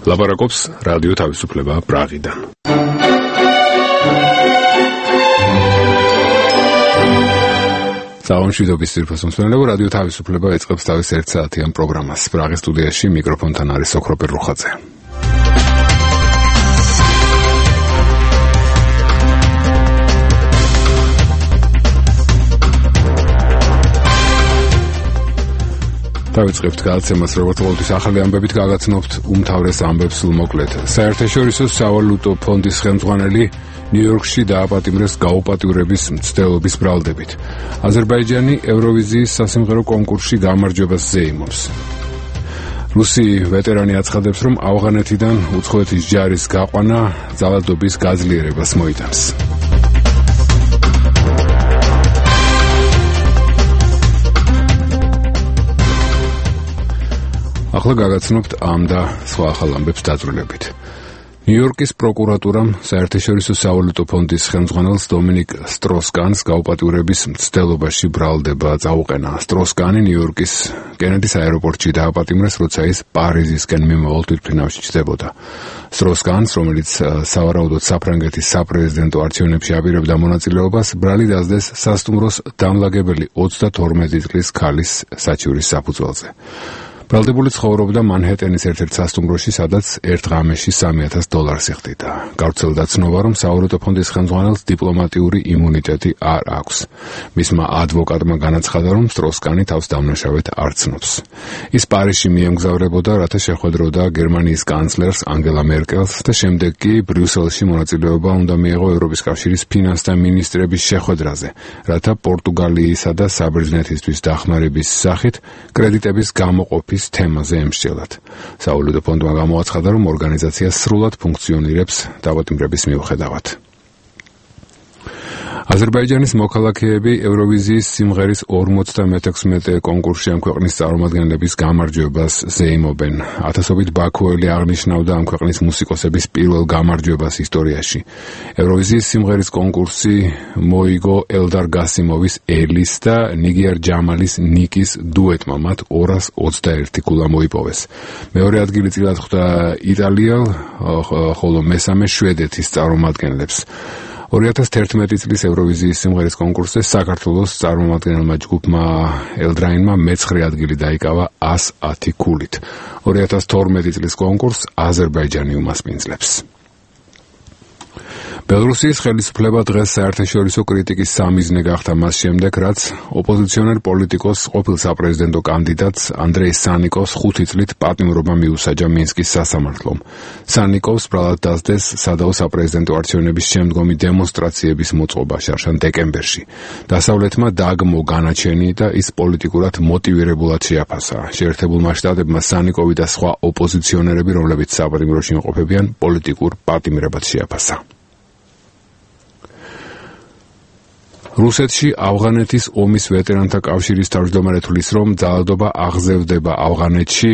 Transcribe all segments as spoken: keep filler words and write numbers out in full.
ლაპარაკობს რადიო თავისუფლება პრაღიდან. სამშვიდობის ძირფას მსმენელებო, რადიო თავისუფლება ეწყებს თავის ერთ საათიან პროგრამას. პრაღის სტუდიაში მიკროფონთან არის ოქროპერ რუხაძე. დავიწყებთ გადაცემას, როგორც ყოველთვის ახალი ამბებით გაგაცნობთ უმთავრეს ამბებს სულმოკლედ. საერთაშორისო სავალუტო ფონდის ხელმძღვანელი ნიუ-იორკში დააპატიმრეს გაუპატიურების მცდელობის ბრალდებით. აზერბაიჯანი ევროვიზიის სასიმღერო კონკურსში გამარჯვებას ზეიმობს. რუსი ვეტერანი აცხადებს, რომ ავღანეთიდან უცხოეთის ჯარის გაყვანა ძალადობის გაძლიერებას მოიტანს. ახლა გაგაცნობთ ამ და სხვა ახალ ამბებს დაწვრილებით. ნიუ-იორკის პროკურატურამ საერთაშორისო სავალუტო ფონდის ხელმძღვანელს დომინიკ სტროს-კანს გაუპატიურების მცდელობაში ბრალდება წაუყენა. სტროს-კანი ნიუ-იორკის კენედის აეროპორტში დააპატიმრეს, როცა ის პარიზისკენ მიმავალ თვითმფრინავში ჩნდებოდა. სტროს-კანს, რომელიც სავარაუდოდ საფრანგეთის საპრეზიდენტო არჩევნებში აპირებდა მონაწილეობას, ბრალი დასდეს სასტუმროს დამლაგებელი ოცდათორმეტი წლის ქალის საჩივრის საფუძველზე. ბრალდებული ცხოვრობდა მანჰეტენის ერთ-ერთ სასტუმროში, სადაც ერთ ღამეში სამი ათას დოლარს იხდიდა. გავრცელდა ცნობა, რომ სავალუტო ფონდის ხელმძღვანელს დიპლომატიური იმუნიტეტი არ აქვს. მისმა ადვოკატმა განაცხადა, რომ სტროს-კანი თავს დამნაშავედ არ ცნობს. ის პარიზში მიემგზავრებოდა, რათა შეხვედროდა გერმანიის კანცლერს ანგელა მერკელს და შემდეგ კი ბრიუსელში მონაწილეობა უნდა მიეღო ევროპის კავშირის ფინანსთა მინისტრების შეხვედრაზე, რათა პორტუგალიისა და საბერძნეთისთვის დახმარების სახით კრედიტების გამოყოფის თემაზე ემსჯელად. სავალუტო ფონდმა გამოაცხადა, რომ ორგანიზაცია სრულად ფუნქციონირებს დაპატიმრების მიუხედავად. აზერბაიჯანის მოქალაქეები ევროვიზიის სიმღერის ორმოცდამეექვსმეტე კონკურსში ამ ქვეყნის წარმომადგენლების გამარჯვებას ზეიმობენ. ათასობით ბაქოელი აღნიშნავდა ამ ქვეყნის მუსიკოსების პირველ გამარჯვებას ისტორიაში. ევროვიზიის სიმღერის კონკურსი მოიგო ელდარ გასიმოვის ელის და ნიგიარ ჯამალის ნიკის დუეტმა, მათ ორას ოცდაერთი ქულა მოიპოვეს. მეორე ადგილი წილად ხვდა იტალიელ, ხოლო მესამე შვედეთის წარმომადგენლებს. ორი ათას თერთმეტი წლის ევროვიზიის სიმღერის კონკურსზე საქართველოს წარმომადგენელმა ჯგუფმა ელდრაინმა მეცხრე ადგილი დაიკავა ას ათი ქულით. ორი ათას თორმეტი წლის კონკურსს აზერბაიჯანი უმასპინძლებს. ბელორუსიის ხელისუფლება დღეს საერთაშორისო კრიტიკის სამიზნე გახდა მას შემდეგ, რაც ოპოზიციონერ პოლიტიკოს ყოფილ საპრეზიდენტო კანდიდატს ანდრეი სანიკოვს ხუთი წლით პატიმრობა მიუსაჯა მინსკის სასამართლომ. სანიკოვს ბრალად დასდეს სადაო საპრეზიდენტო არჩევნების შემდგომი დემონსტრაციების მოწყობა შარშან დეკემბერში. დასავლეთმა დაგმო განაჩენი და ის პოლიტიკურად მოტივირებულად შეაფასა. შეერთებულმა შტატებმა სანიკოვი და სხვა ოპოზიციონერები, რომლებიც საპატიმროში იმყოფებიან, პოლიტიკურ პატიმრებად შეაფასა. რუსეთში ავღანეთის ომის ვეტერანთა კავშირის თავმჯდომარე თვლის, რომ ძალადობა აღზევდება ავღანეთში,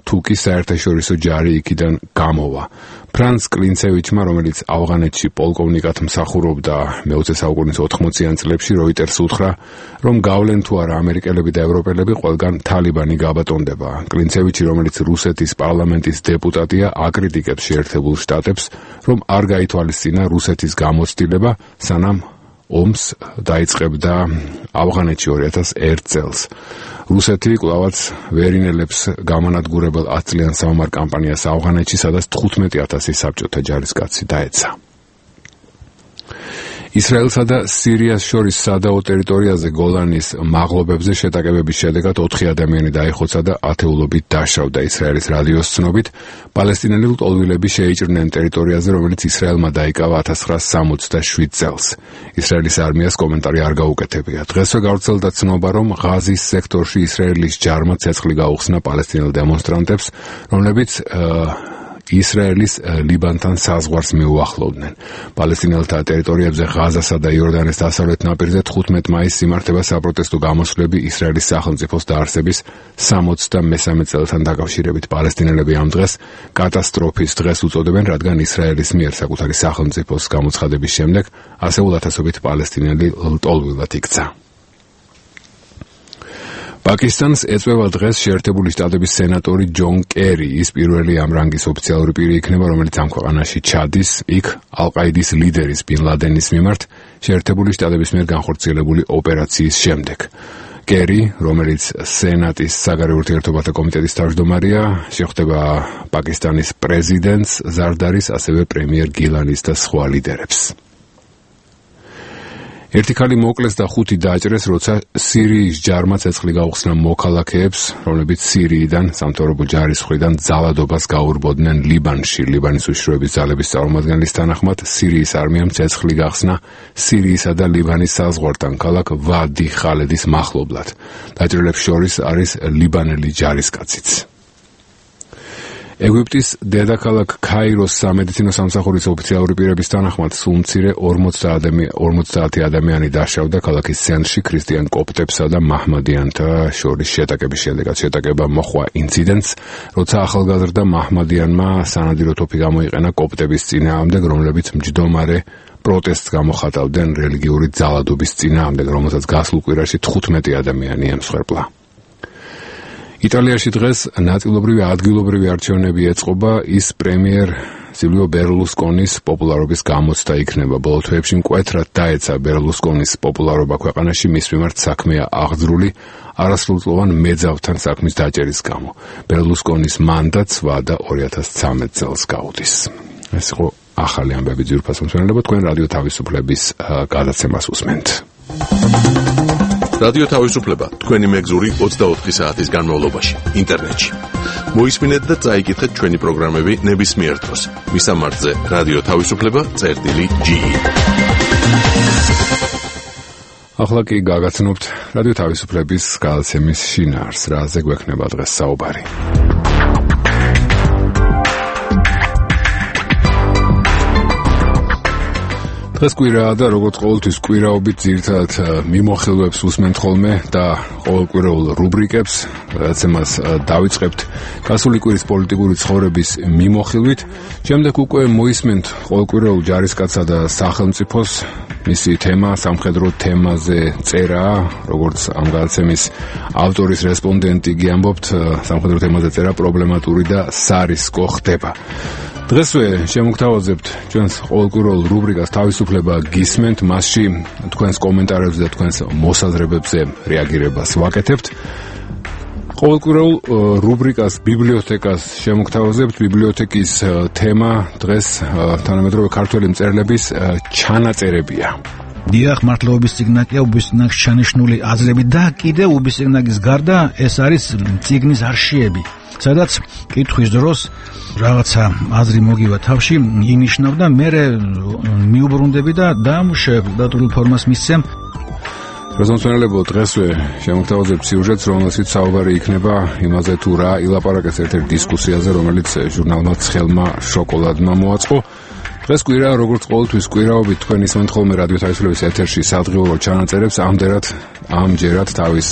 თუკი საერთაშორისო ჯარი იქიდან გამოვა. ფრანც კლინცევიჩმა, რომელიც ავღანეთში პოლკოვნიკად მსახურობდა მეოცე საუკუნის ოთხმოციან წლებში, როიტერს უთხრა, რომ გავლენ თუ არა ამერიკელები და ევროპელები, ყველგან თალიბანი გაბატონდება. კლინცევიჩი, რომელიც რუსეთის პარლამენტის დეპუტატია, აკრიტიკებს შეერთებულ შტატებს, რომ არ გაითვალისწინა რუსეთის გამოცდილება, სანამ ომს დაიწყებდა ავღანეთში ორი ათას ერთ წელს. რუსეთი კვლავაც ვერინელებს გამანადგურებელ ათწლიან საომარ კამპანიას ავღანეთში, სადაც თხუთმეტი ათასი საბჭოთა ჯარისკაცი დაეცა. ისრაელსა და სირიას შორის სადაო ტერიტორიაზე გოლანის მაღლობებზე შეტაკებების შედეგად ოთხი ადამიანი დაიხოცა და ათეულობით დაშავდა. ისრაელის რადიოს ცნობით, პალესტინელი ლტოლვილები შეიჭრნენ ტერიტორიაზე, რომელიც ისრაელმა დაიკავა ათას ცხრაასა სამოცდაშვიდ წელს. ისრაელის არმიას კომენტარი არ გაუკეთებია. დღესვე გავრცელდა ცნობა, რომ ღაზის სექტორში ისრაელის ჯარმა ცეცხლი გაუხსნა პალესტინელ დემონსტრანტებს, რომლებიც ისრაელის ლიბანთან საზღვარს მიუახლოვდნენ. პალესტინელთა ტერიტორიებზე ღაზასა და იორდანეს დასავლეთ ნაპირზე თხუთმეტი მაისს იმართება საპროტესტო გამოსვლები ისრაელის სახელმწიფოს დაარსების სამოცდამესამე წელთან დაკავშირებით. პალესტინელები ამ დღეს კატასტროფის დღეს უწოდებენ, რადგან ისრაელის მიერ საკუთარი სახელმწიფოს გამოცხადების შემდეგ ასეულ ათასობით პალესტინელი ლტოლვილად იქცა. პაკისტანს ეწვევა დღეს შეერთებული შტატების სენატორი ჯონ კერი. ის პირველი ამ რანგის ოფიციალური პირი იქნება, რომელიც ამ ქვეყანაში ჩადის, იქ ალ-ყაიდის ლიდერის ბინ ლადენის მიმართ შეერთებული შტატების მიერ განხორციელებული ოპერაციის შემდეგ. კერი, რომელიც სენატის საგარეო ურთიერთობათა კომიტეტის თავმჯდომარეა, შეხვდება პაკისტანის პრეზიდენტს, ზარდარის, ასევე პრემიერ გილანის და სხვა ლიდერებს. ერთი ქალი მოკლეს და ხუთი დააჭრეს, როცა სირიის ჯარმა ცეცხლი გაუხსნა მოქალაქეებს, რომლებიც სირიიდან სამთავრობო ჯარის მხრიდან ძალადობას გაურბოდნენ ლიბანში. ლიბანის უშიშროების ძალების წარმომადგენლის თანახმად, სირიის არმიამ ცეცხლი გახსნა სირიისა და ლიბანის საზღვართან ქალაქ ვადი ხალედის მახლობლად. დაჭრილებს შორის არის ლიბანელი ჯარისკაციც. ეგვიპტის დედაქალაქ ქაიროს სამედიცინო სამსახურის ოფიციალური პირების თანახმად სულ მცირე ორმოცდაათი ადამიანი დაშავდა ქალაქის ცენტრში ქრისტიან კოპტებსა და მაჰმადიანთა შორის შეტაკების შედეგად. შეტაკება მოჰყვა ინციდენტს, როცა ახალგაზრდა მაჰმადიანმა სანადირო თოფი გამოიყენა კოპტების წინააღმდეგ, რომლებიც მჯდომარე პროტესტს გამოხატავდნენ რელიგიური ძალადობის წინააღმდეგ, რომელსაც გასულ კვირაში თხუთმეტი ადამიანი ემსხვერპლა. იტალიაში დღეს ნაწილობრივი ადგილობრივი არჩევნები ეწყობა, ის პრემიერ სილვიო ბერლუსკონის პოპულარობის გამოცდა იქნება. ბოლო თვეებში მკვეთრად დაეცა ბერლუსკონის პოპულარობა ქვეყანაში, მის მიმართ საქმეა აღძრული არასრულწლოვან მეძავთან საქმის დაჭერის გამო. ბერლუსკონის მანდატს ვადა ორი ათას ცხრამეტ წელს გაუდის. ეს იყო ახალი ამბები ძვირფას მომსმენელებო, თქვენ რადიო თავისუფლების გადაცემას უსმენთ. რადიო თავისუფლება თქვენი მეგზური ოცდაოთხი საათის განმავლობაში ინტერნეტში. მოისმინეთ და წაიკითხეთ ჩვენი პროგრამები ნებისმიერ დროს. მისამართზე რადიო თავისუფლება წერტილი ჯი. ახლა კი გაგაცნობთ რადიო თავისუფლების გადაცემის შინაარს, რაზე გვექნება დღეს საუბარი. დღეს კვირაა და როგორც ყოველთვის კვირაობით ძირითადად მიმოხილვებს უსმენთ ხოლმე და ყოველკვირეულ რუბრიკებს, რაცემას დავიწყებთ გასული კვირის პოლიტიკური ცხოვრების მიმოხილვით. შემდეგ უკვე მოისმენთ ყოველკვირეულ ჯარისკაცსა და სახელმწიფოს, მისი თემა სამხედრო თემაზე წერაა, როგორც ამ გადაცემის ავტორის რესპონდენტი გიამბობთ, სამხედრო თემაზე წერა პრობლემატური და სარისკო ხდება. დღესვე შემოგთავაზებთ ჩვენს ყოველკვირეულ რუბრიკას თავისუფლება გისმენთ, მასში თქვენს კომენტარებზე და თქვენს მოსაზრებებზე რეაგირებას ვაკეთებთ. ყოველკვირეულ რუბრიკას ბიბლიოთეკას შემოგთავაზებთ. ბიბლიოთეკის თემა დღეს თანამედროვე ქართველი მწერლების ჩანაწერებია. დიახ, მართლობის წიგნაკია, უბისწინაკს ჩანიშნული აზრები და კიდე უბისწინაკის გარდა ეს არის წიგნის არშიები, სადაც კითხვის დროს რაღაცა აზრი მოგივა თავში, ინიშნავ და მე მიუბრუნდები და დამუშავებ დატვირთულ ფორმას მისცემ. რეზონსონელებო დღესვე შემოგთავაზებთ სიუჟეტს, რომელშიც საუბარი იქნება იმაზე თუ რა ილაპარაკეს ერთ-ერთ დისკუსიაზე, რომელიც ჟურნალმა ცხელმა შოკოლადმა მოაწყო. დღეს კვირა, როგორც ყოველთვის კვირაობით თქვენ ისმენთ ხოლმე რადიო თავისუფლების ეთერში სადღეობო ჩანაწერებს, ამდერად ამჯერად თავის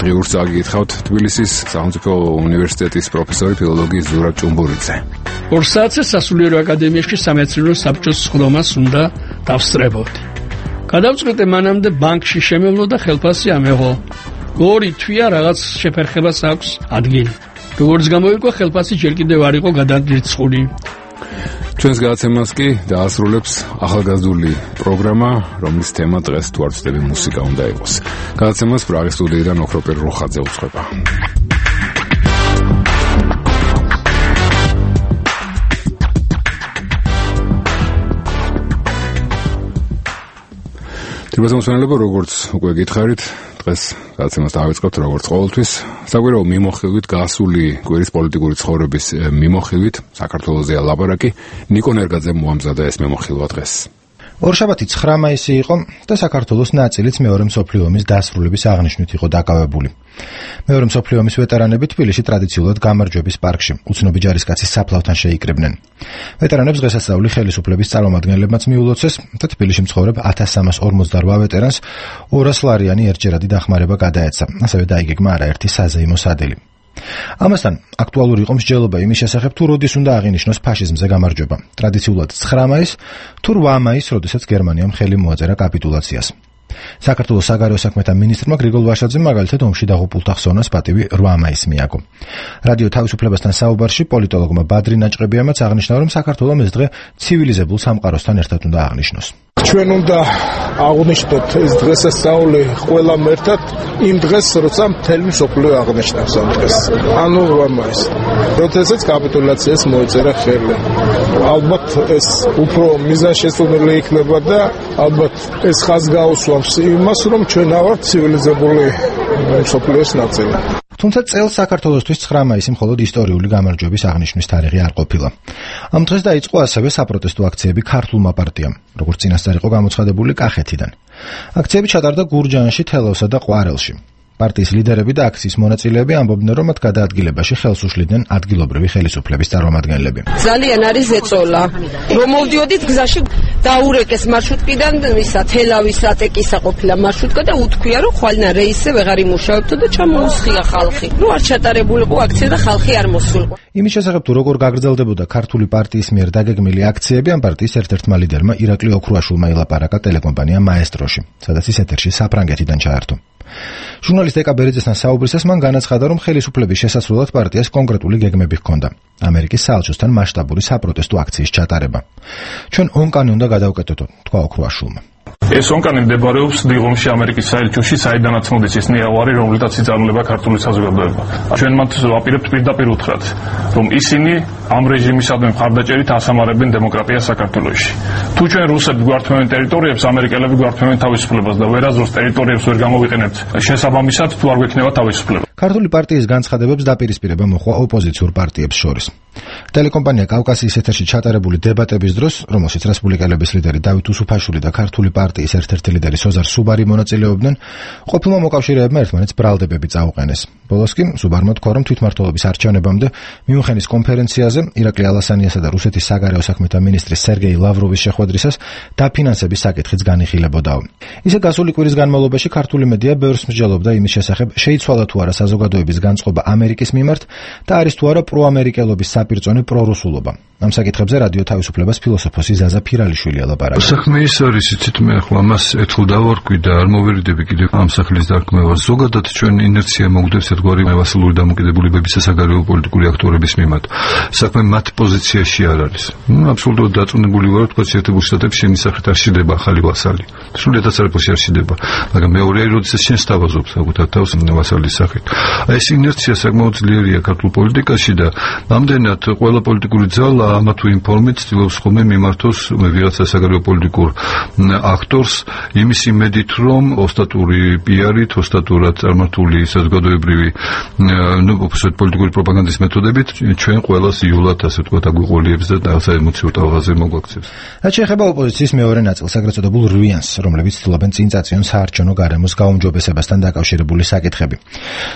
დღიურს წაგიკითხავთ თბილისის სახელმწიფო უნივერსიტეტის პროფესორი ფილოლოგი ზურაბ ჭუმბურიძე. ორ საათზე სასულიერო აკადემიაში სამეცნიერო საბჭოს სხდომას უნდა დავსწრებოდი. გადავწყვიტე მანამდე ბანკში შემევლო და ხელფასი ამეღო. ორი თვია რაღაც შეფერხებას აქვს ადგილი. როგორც გამოირკვა, ხელფასი ჯერ კიდევ არ იყო გადადრიცხული. ჩვენს გადაცემას კი დაასრულებს ახალგაზრდული პროგრამა, რომლის თემა დღეს თუ არ ვცდები მუსიკა უნდა იყოს. გადაცემას პრაღის სტუდიიდან ოქროპერ როხაძე უძღვება. თბილისმოსმენელებო, როგორც უკვე გითხარით, დღეს გადაცემას დავიწყებთ როგორც ყოველთვის საკვირაო მიმოხილვით, გასული კვირის პოლიტიკური ცხოვრების მიმოხილვით. საქართველოსია ლაპარაკი. ნიკო ნერგაძემ მოამზადა ეს მიმოხილვა დღეს. ორშაბათი ცხრა მაისი იყო და საქართველოს ნაწილიც მეორე მსოფლიო ომის დასრულების აღნიშვნით იყო დაკავებული. მეორე მსოფლიო ომის ვეტერანები თბილისში ტრადიციულად გამარჯვების პარკში უცნობი ჯარისკაცის საფლავთან შეიკრიბნენ. ვეტერანებს დღესასწაული ხელისუფლების წარმომადგენლებმაც მიულოცეს და თბილისში მცხოვრებ ათას სამას ორმოცდარვა ვეტერანს ორას ლარიანი ერთჯერადი დახმარება გადაეცა. ასევე დაიგეგმა არაერთი საზეიმო სადილი. ამასთან აქტუალური იყო მსჯელობა იმის შესახებ, თუ როდის უნდა აღინიშნოს ფაშიზმზე გამარჯვება. ტრადიციულად ცხრა მაისს თუ რვა მაისს, როდესაც გერმანიამ ხელი მოაწერა კაპიტულაციას. საქართველოს საგარეო საქმეთა მინისტრმა გრიგოლ ვაშაძემ მაგალითად ომში დაღუპულთა ხსოვნას პატივი რვა მაისს მიაგო. რადიო თავისუფლებასთან საუბარში პოლიტოლოგმა ბადრი ნაჭყებიამაც აღნიშნა, რომ საქართველოს ეს დღე ცივილიზებულ სამყაროსთან ერთად უნდა აღნიშნოს. ჩვენ უნდა აღვნიშნოთ ეს დღესასწაული ყველამ ერთად იმ დღეს, როცა მთელი მსოფლიო აღნიშნავს ამ დღეს. ანუ რვა მაისს. როდესაც კაპიტულაციას მოეწერა ხელი. ალბათ ეს უფრო მიზანშეწონილი იქნება და ალბათ ეს ხაზს გაუსვამს იმას, რომ ჩვენ ავართ ცივილიზებული მსოფლიოს ნაწილი. თუმცა წელს საქართველოსთვის ცხრა მაისი მხოლოდ ისტორიული გამარჯვების აღნიშვნის თარიღი არ ყოფილა. ამ დღეს დაიწყო ასევე საპროტესტო აქციები ქართულმა პარტიამ, როგორც წინასწარ იყო გამოცხადებული კახეთიდან. აქციები ჩატარდა გურჯაანში, თელავსა და ყვარელში. პარტიის ლიდერები და აქციის მონაწილეები ამბობდნენ, რომ მათ გადაადგილებაში ხელს უშლიდნენ ადგილობრივი ხელისუფლების წარმომადგენლები. ძალიან არის ეწოლა. რომ მოვდიოდით გზაში დაურეკეს მარშრუტკიდან ისა თელავის ატეკისა ყოფილა მარშრუტკა და უთქვია, რომ ხვალნა რეისზე ვეღარ იმუშავებთ და ჩამოუსხია ხალხი. ნუ არ ჩატარებულიყო აქცია და ხალხი არ მოსულიყო. იმის შესახებ თუ როგორ გაგრძელდებოდა ქართული პარტიის მიერ დაგეგმილი აქციები, ამ პარტიის ერთ-ერთმა ლიდერმა ირაკლი ოქრუაშვილმა ილაპარაკა ტელეკომპანია მაესტროში, სადაც ის ეთერში საფრანგეთიდან ჩაერთო. ჟურნალისტ ეკა ბერიძესთან საუბრისას მან განაცხადა, რომ ხელისუფლების შესასრულად პარტიას კონკრეტული გეგმები ჰქონდა. ამერიკის საელჩოსთან მასშტაბური საპროტესტო აქციის ჩატარება. ჩვენ ონკანი უნდა გადავკეტოთ, თქვა ოქრუაშვილმა. ეს ონკანი მდებარეობს დიღომში ამერიკის საელჩოში, საიდანაც მოდის ეს ნიავარი, რომელთაც იწარმოება ქართული საზოგადოება. ჩვენ მათ ვაპირებთ პირდაპირ უთხრათ, რომ ისინი ამ რეჟიმისადმი მხარდაჭერით ასამარებენ დემოკრატიას საქართველოში. თუ ჩვენ რუსები გვართმევენ ტერიტორიებს, ამერიკელები გვართმევენ თავისუფლებას და ვერაზროს ტერიტორიებს ვერ გამოვიყენებთ შესაბამისად, თუ არ გვექნება თავისუფლება. ქართული პარტიის განცხადებებს დაპირისპირება მოხდა ოპოზიციურ პარტიებს შორის. ტელეკომპანია კავკასიის ეთერში ჩატარებული დებატების დროს, რომელშიც რესპუბლიკელების ლიდერი დავით უსუფაშვილი და ქართული პარტიის ერთ-ერთი ლიდერი სოზარ სუბარი მონაწილეობდნენ, ყოფილმა მოკავშირეებმა ერთმანეთს ბრალდებები წაუყენეს. ბოლოს კი სუბარმა თქვა, რომ თვითმმართველობის არჩევნებამდე მიუნხენის კონფერენციაზე ირაკლი ალასანიასა და რუსეთის საგარეო საქმეთა მინისტრის სერგეი ლავროვის შეხვედრისას დაფინანსების საკითხიც განიხილებოდაო. ისე გასული კვირის განმავლობაში ქართული მედია ბევრს მსჯელობდა იმის შესახებ, შეიცვალა თუ არა საზოგადოების განწყობა ამერიკის მიმართ და არის თუ არა პროამერიკელობის საპირწონე პრორუსულობა. ამ საკითხებზე რადიო თავისუფლებას ფილოსოფოსი ზაზა ფირალიშვილი ელაპარაკა. საქმე ის არის, იცით, მე ახლა ამას ერთხელ დავარკვი და არ მოვერიდები კიდევ ამ სახლის დარქმევას. ზოგადად ჩვენ ინერცია მოგვდებს ერთგვარი მასალური დამოკიდებულებების საგარეო პოლიტიკური აქტორების მიმართ. საქმე მათ პოზიციაში არ არის. ნუ აბსოლუტურად დაწუნებული ვარ, თქვა შეერთებულ შტატებში იმის სახით არ შიდება ახალი ვასალი. სრულიად არაფერში არ შიდება, მაგრამ მეორეა, როდესაც შენ სთავაზობს საკუთარ თავს ვასალის სახით. აი ეს ინერცია საკმაოდ ძლიერია ქართულ პოლიტიკაში და ამდენად ყველა პოლიტიკური ძალა ამა თუ იმ ფორმით ცდილობს ხოლმე მიმართოს ვიღაცა საგარეო პოლიტიკურ აქტორს იმის იმედით, რომ ოსტატური პიარით, ოსტატურად წარმართული საზოგადოებრივი ნუ უბრალოდ პოლიტიკური პროპაგანდის მეთოდებით ჩვენ ყველას იულად ასე ვთქვათ აგვიყურებს და რაღაცა ემოციურ ტალღაზე მოგვაქცევს. რაც შეეხება ოპოზიციის მეორე ნაწილს, აგრეთ წოდებულ რვიანს, რომლებიც ცდილობენ წინ წაწიონ საარჩევნო გარემოს გაუმჯობესებასთან დაკავშირებული საკითხები.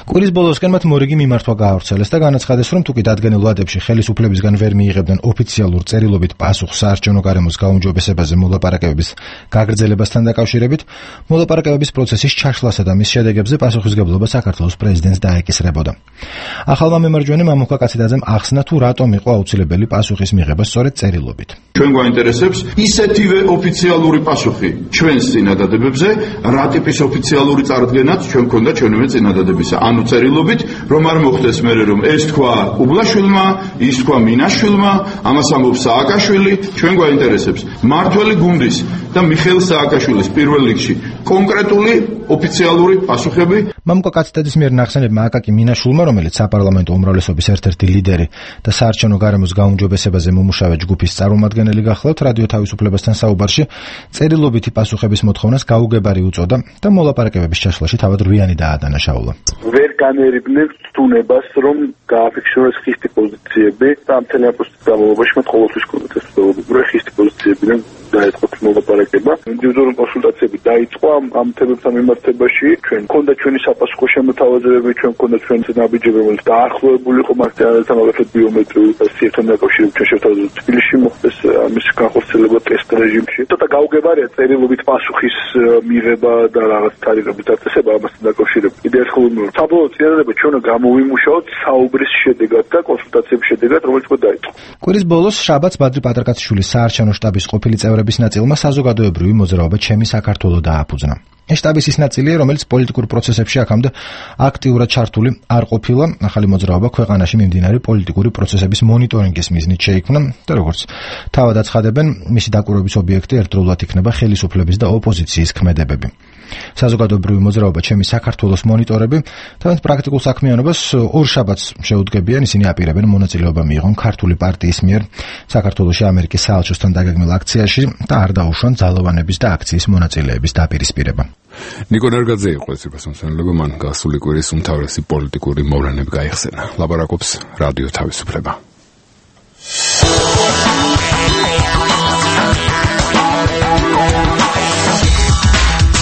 კვირის ბოლოსკენ მათ მორიგი მიმართვა გაავრცელეს და განაცხადეს, რომ თუკი დადგენილ ვადებში ხელისუფლებისგან ვერ მიიღებდნენ ოფიციალურ წერილობით პასუხს საარჩევნო გარემოს გაუმჯობესებაზე მოლაპარაკებების გაგრძელებასთან დაკავშირებით, მოლაპარაკებების პროცესის ჩაშლასა და მის შედეგებზე პასუხისგებლობა საქართველოს პრეზიდენტს დაეკისრებოდა. ახალმა მემარჯვენემ მამუკა კაციდაძემ ახსნა, თუ რატომ იყო აუცილებელი პასუხის მიღება სწორედ წერილობით. ჩვენ გვაინტერესებს ისეთივე ოფიციალური პასუხი ჩვენს წინადადებებზე, რა ტიპის ოფიციალური წარდგენაც ჩვენ გქონდა ჩვენივე წინადადებისა. ანუ წერილობით, რომ არ მოხდეს მერე, რომ ეს თქვა უბლაშვილმა, ის თქვა მინაშვილმა, ამას ამბობს სააკაშვილი, ჩვენ გვაინტერესებს მართველი გუნდის და მიხეილ სააკაშვილის პირველ რიგში კონკრეტული ოფიციალური პასუხები. მამუკა კაცდაძის მიერ ნახსენებმა აკაკი მინაშვილმა, რომელიც საპარლამენტო უმრავლესობის ერთ-ერთი ლიდერი და საარჩევნო გარემოს გაუმჯობესებაზე მომუშავე ჯგუფის წარმომადგენელი გახლავთ, რადიო თავისუფლებასთან საუბარში წერილობითი პასუხების მოთხოვნას გაუგებარი უწოდა და მოლაპარაკებების ჩაშლაში თავად რვიანი დაადანაშაულა. ვერ განერიბნებ ცდუნებას, რომ გააფიქსიროს ხისტი პოზიციები და ამ მთელი პროცესის განმავლობაში მათ ყოველთვის ჰქონდათ ეს ცდობა, ხისტი პოზიციებიდან დაიწყო მოლაპარაკება. ინდივიდუალური კონსულტაციები დაიწყო ამ თემებთან მიმართებაში. ჩვენ მქონდა ჩვენი საპასუხო შემოთავაზებები, ჩვენ მქონდა ჩვენი ნაბიჯები, რომელიც დაახლოებული იყო მასთან მაგალითად ბიომეტრიული სიერთთან დაკავშირებით ჩვენ შევთავაზებთ თბილისში მოხდეს ამის განხორციელება ტესტ რეჟიმში. ცოტა გაუგებარია წერილობით პასუხის მიღება და რაღაც თარიღების დაწესება ამასთან დაკავშირებით. კიდევ ერთხელ ვიმეორებ, საბოლოო წინადადება ჩვენ გამოვიმუშაოთ საუბრის შედეგად და კონსულტაციების შედეგად, რომელიც უკვე დაიწყო. კვირის ბოლოს შაბათს ბადრი პატარკაციშვილის საარჩევნო შტაბის ყოფილი წევრების ნაწილმა საზოგადოებრივი მოძრაობა ჩემი საქართველო დააფუძნა. შტაბის ის ნაწილია, რომელიც პოლიტიკურ პროცესებში აქამდე აქტიურად ჩართული არ ყოფილა. ახალი მოძრაობა ქვეყანაში მიმდინარე პოლიტიკური პროცესების მონიტორინგის მიზნით შეიქმნა და როგორც თავად აცხადებენ, მისი დაკვირვების ობიექტი ერთდროულად იქნება ხელისუფლების და ოპოზიციის ქმედებები. საზოგადოებრივი მოძრაობა ჩემი საქართველოს მონიტორები თავის პრაქტიკულ საქმიანობას ორ შაბათს შეუდგებიან. ისინი აპირებენ მონაწილეობა მიიღონ ქართული პარტიის მიერ საქართველოში ამერიკის საელჩოსთან დაგეგმილ აქციაში და არ დაუშვან ძალოვანების და აქციის მონაწილეების დაპირისპირება. ნიკო ნარგაძე იყო ეს პერსონალობა, მან გასული კვირის უმთავრესი პოლიტიკური მოვლენები გაიხსენა. ლაპარაკობს რადიო თავისუფლება.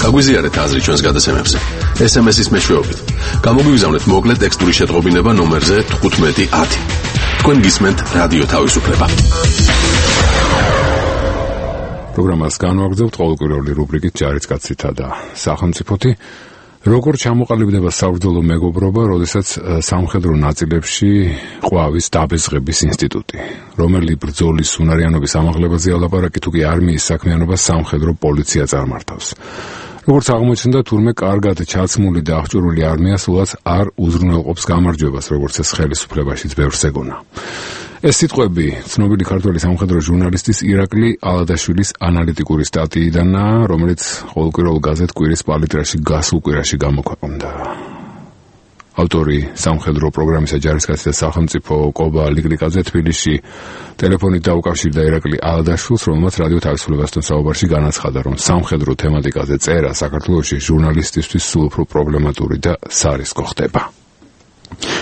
გაგვიზიარეთ აზრი ჩვენს გადაცემებზე. ეს ემ ეს-ის მეშვეობით. გამოგვიგზავნეთ მოკლე ტექსტური შეტყობინება ნომერზე თხუთმეტი ათი. თქვენ გისმენთ რადიო თავისუფლება. პროგრამას განვაგრძობთ ყოველკვირეული რუბრიკით ჯარისკაცითა და სახელმწიფოთი. როგორ ჩამოყალიბდება საბრძოლო მეგობრობა, როდესაც სამხედრო ნაწილებში ყვავის დაბეზღების ინსტიტუტი, რომელი ბრძოლის უნარიანობის ამაღლებაზეა ლაპარაკი, თუ კი არმიის საქმიანობას სამხედრო პოლიცია წარმართავს. როგორც აღმოჩნდა, თურმე კარგად ჩაცმული და აღჭურვილი არმია სულაც არ უზრუნველყოფს გამარჯვებას, როგორც ეს ხელისუფლებაშიც ბევრს ეგონა. ეს სიტყვები ცნობილი ქართველი სამხედრო ჟურნალისტის ირაკლი ალადაშვილის ანალიტიკური სტატიიდანაა, რომელიც ყოველკვირეულ გაზეთ კვირის პალიტრაში გასულ კვირაში გამოქვეყნდა. ავტორი სამხედრო პროგრამისა ჯარისკაცი და სახელმწიფო კობა ლიკლიკაძე თბილისში ტელეფონით დაუკავშირდა ირაკლი ალადაშვილს, რომელმაც რადიო თავისუფლებასთან საუბარში განაცხადა, რომ სამხედრო თემატიკაზე წერა საქართველოში ჟურნალისტისთვის სულ უფრო პრობლემატური და სარისკო ხდება.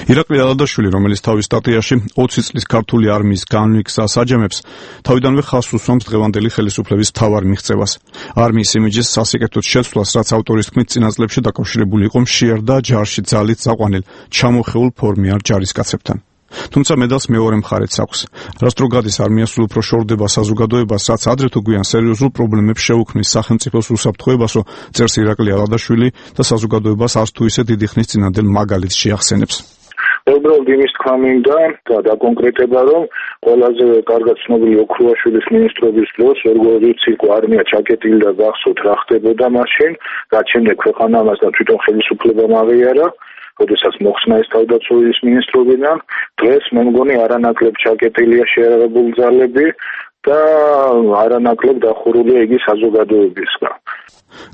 ირაკლი ალადაშვილი, რომელიც თავის სტატიაში ოცი წლის ქართული არმიის განვიგზას აჯამებს, თავიდანვე ხაზს უსვამს დღევანდელი ხელისუფლების მთავარ მიღწევას. არმიის იმიჯის სასიკეთოდ შეცვლას, რაც ავტორის თქმით წინა წლებში დაკავშირებული იყო მშიერ და ჯარში ძალით წაყვანილ ჩამოხეულ ფორმიარ ჯარისკაცებთან. თუმცა მედალს მეორე მხარეც აქვს. რაც დრო გადის არმია სულ უფრო შორდება საზოგადოებას, რაც ადრე თუ გვიან სერიოზულ პრობლემებს შეუქმნის სახელმწიფოს უსაფრთხოებასო, წერს ირაკლი ალადაშვილი და საზოგადოებას არც თუ ისე დიდი ხნის წინანდელ მაგალითს შეახსენებს. უბრალოდ იმის თქვა მინდა და დაკონკრეტება, რომ ყველაზე კარგად ცნობილი ოქრუაშვილის მინისტრობის დროს როგორც იყო არმია ჩაკეტილი და გახსოვთ რა ხდებოდა მაშინ, რაც შემდეგ ქვეყანა ამასთან თვითონ ხელისუფლებამ აღიარა, როდესაც მოხსნა ეს თავდაცვის მინისტრობიდან. დღეს მე მგონი არანაკლებ ჩაკეტილია შეერაღებული ძალები და არანაკლებ დახურულია იგი საზოგადოებისგან.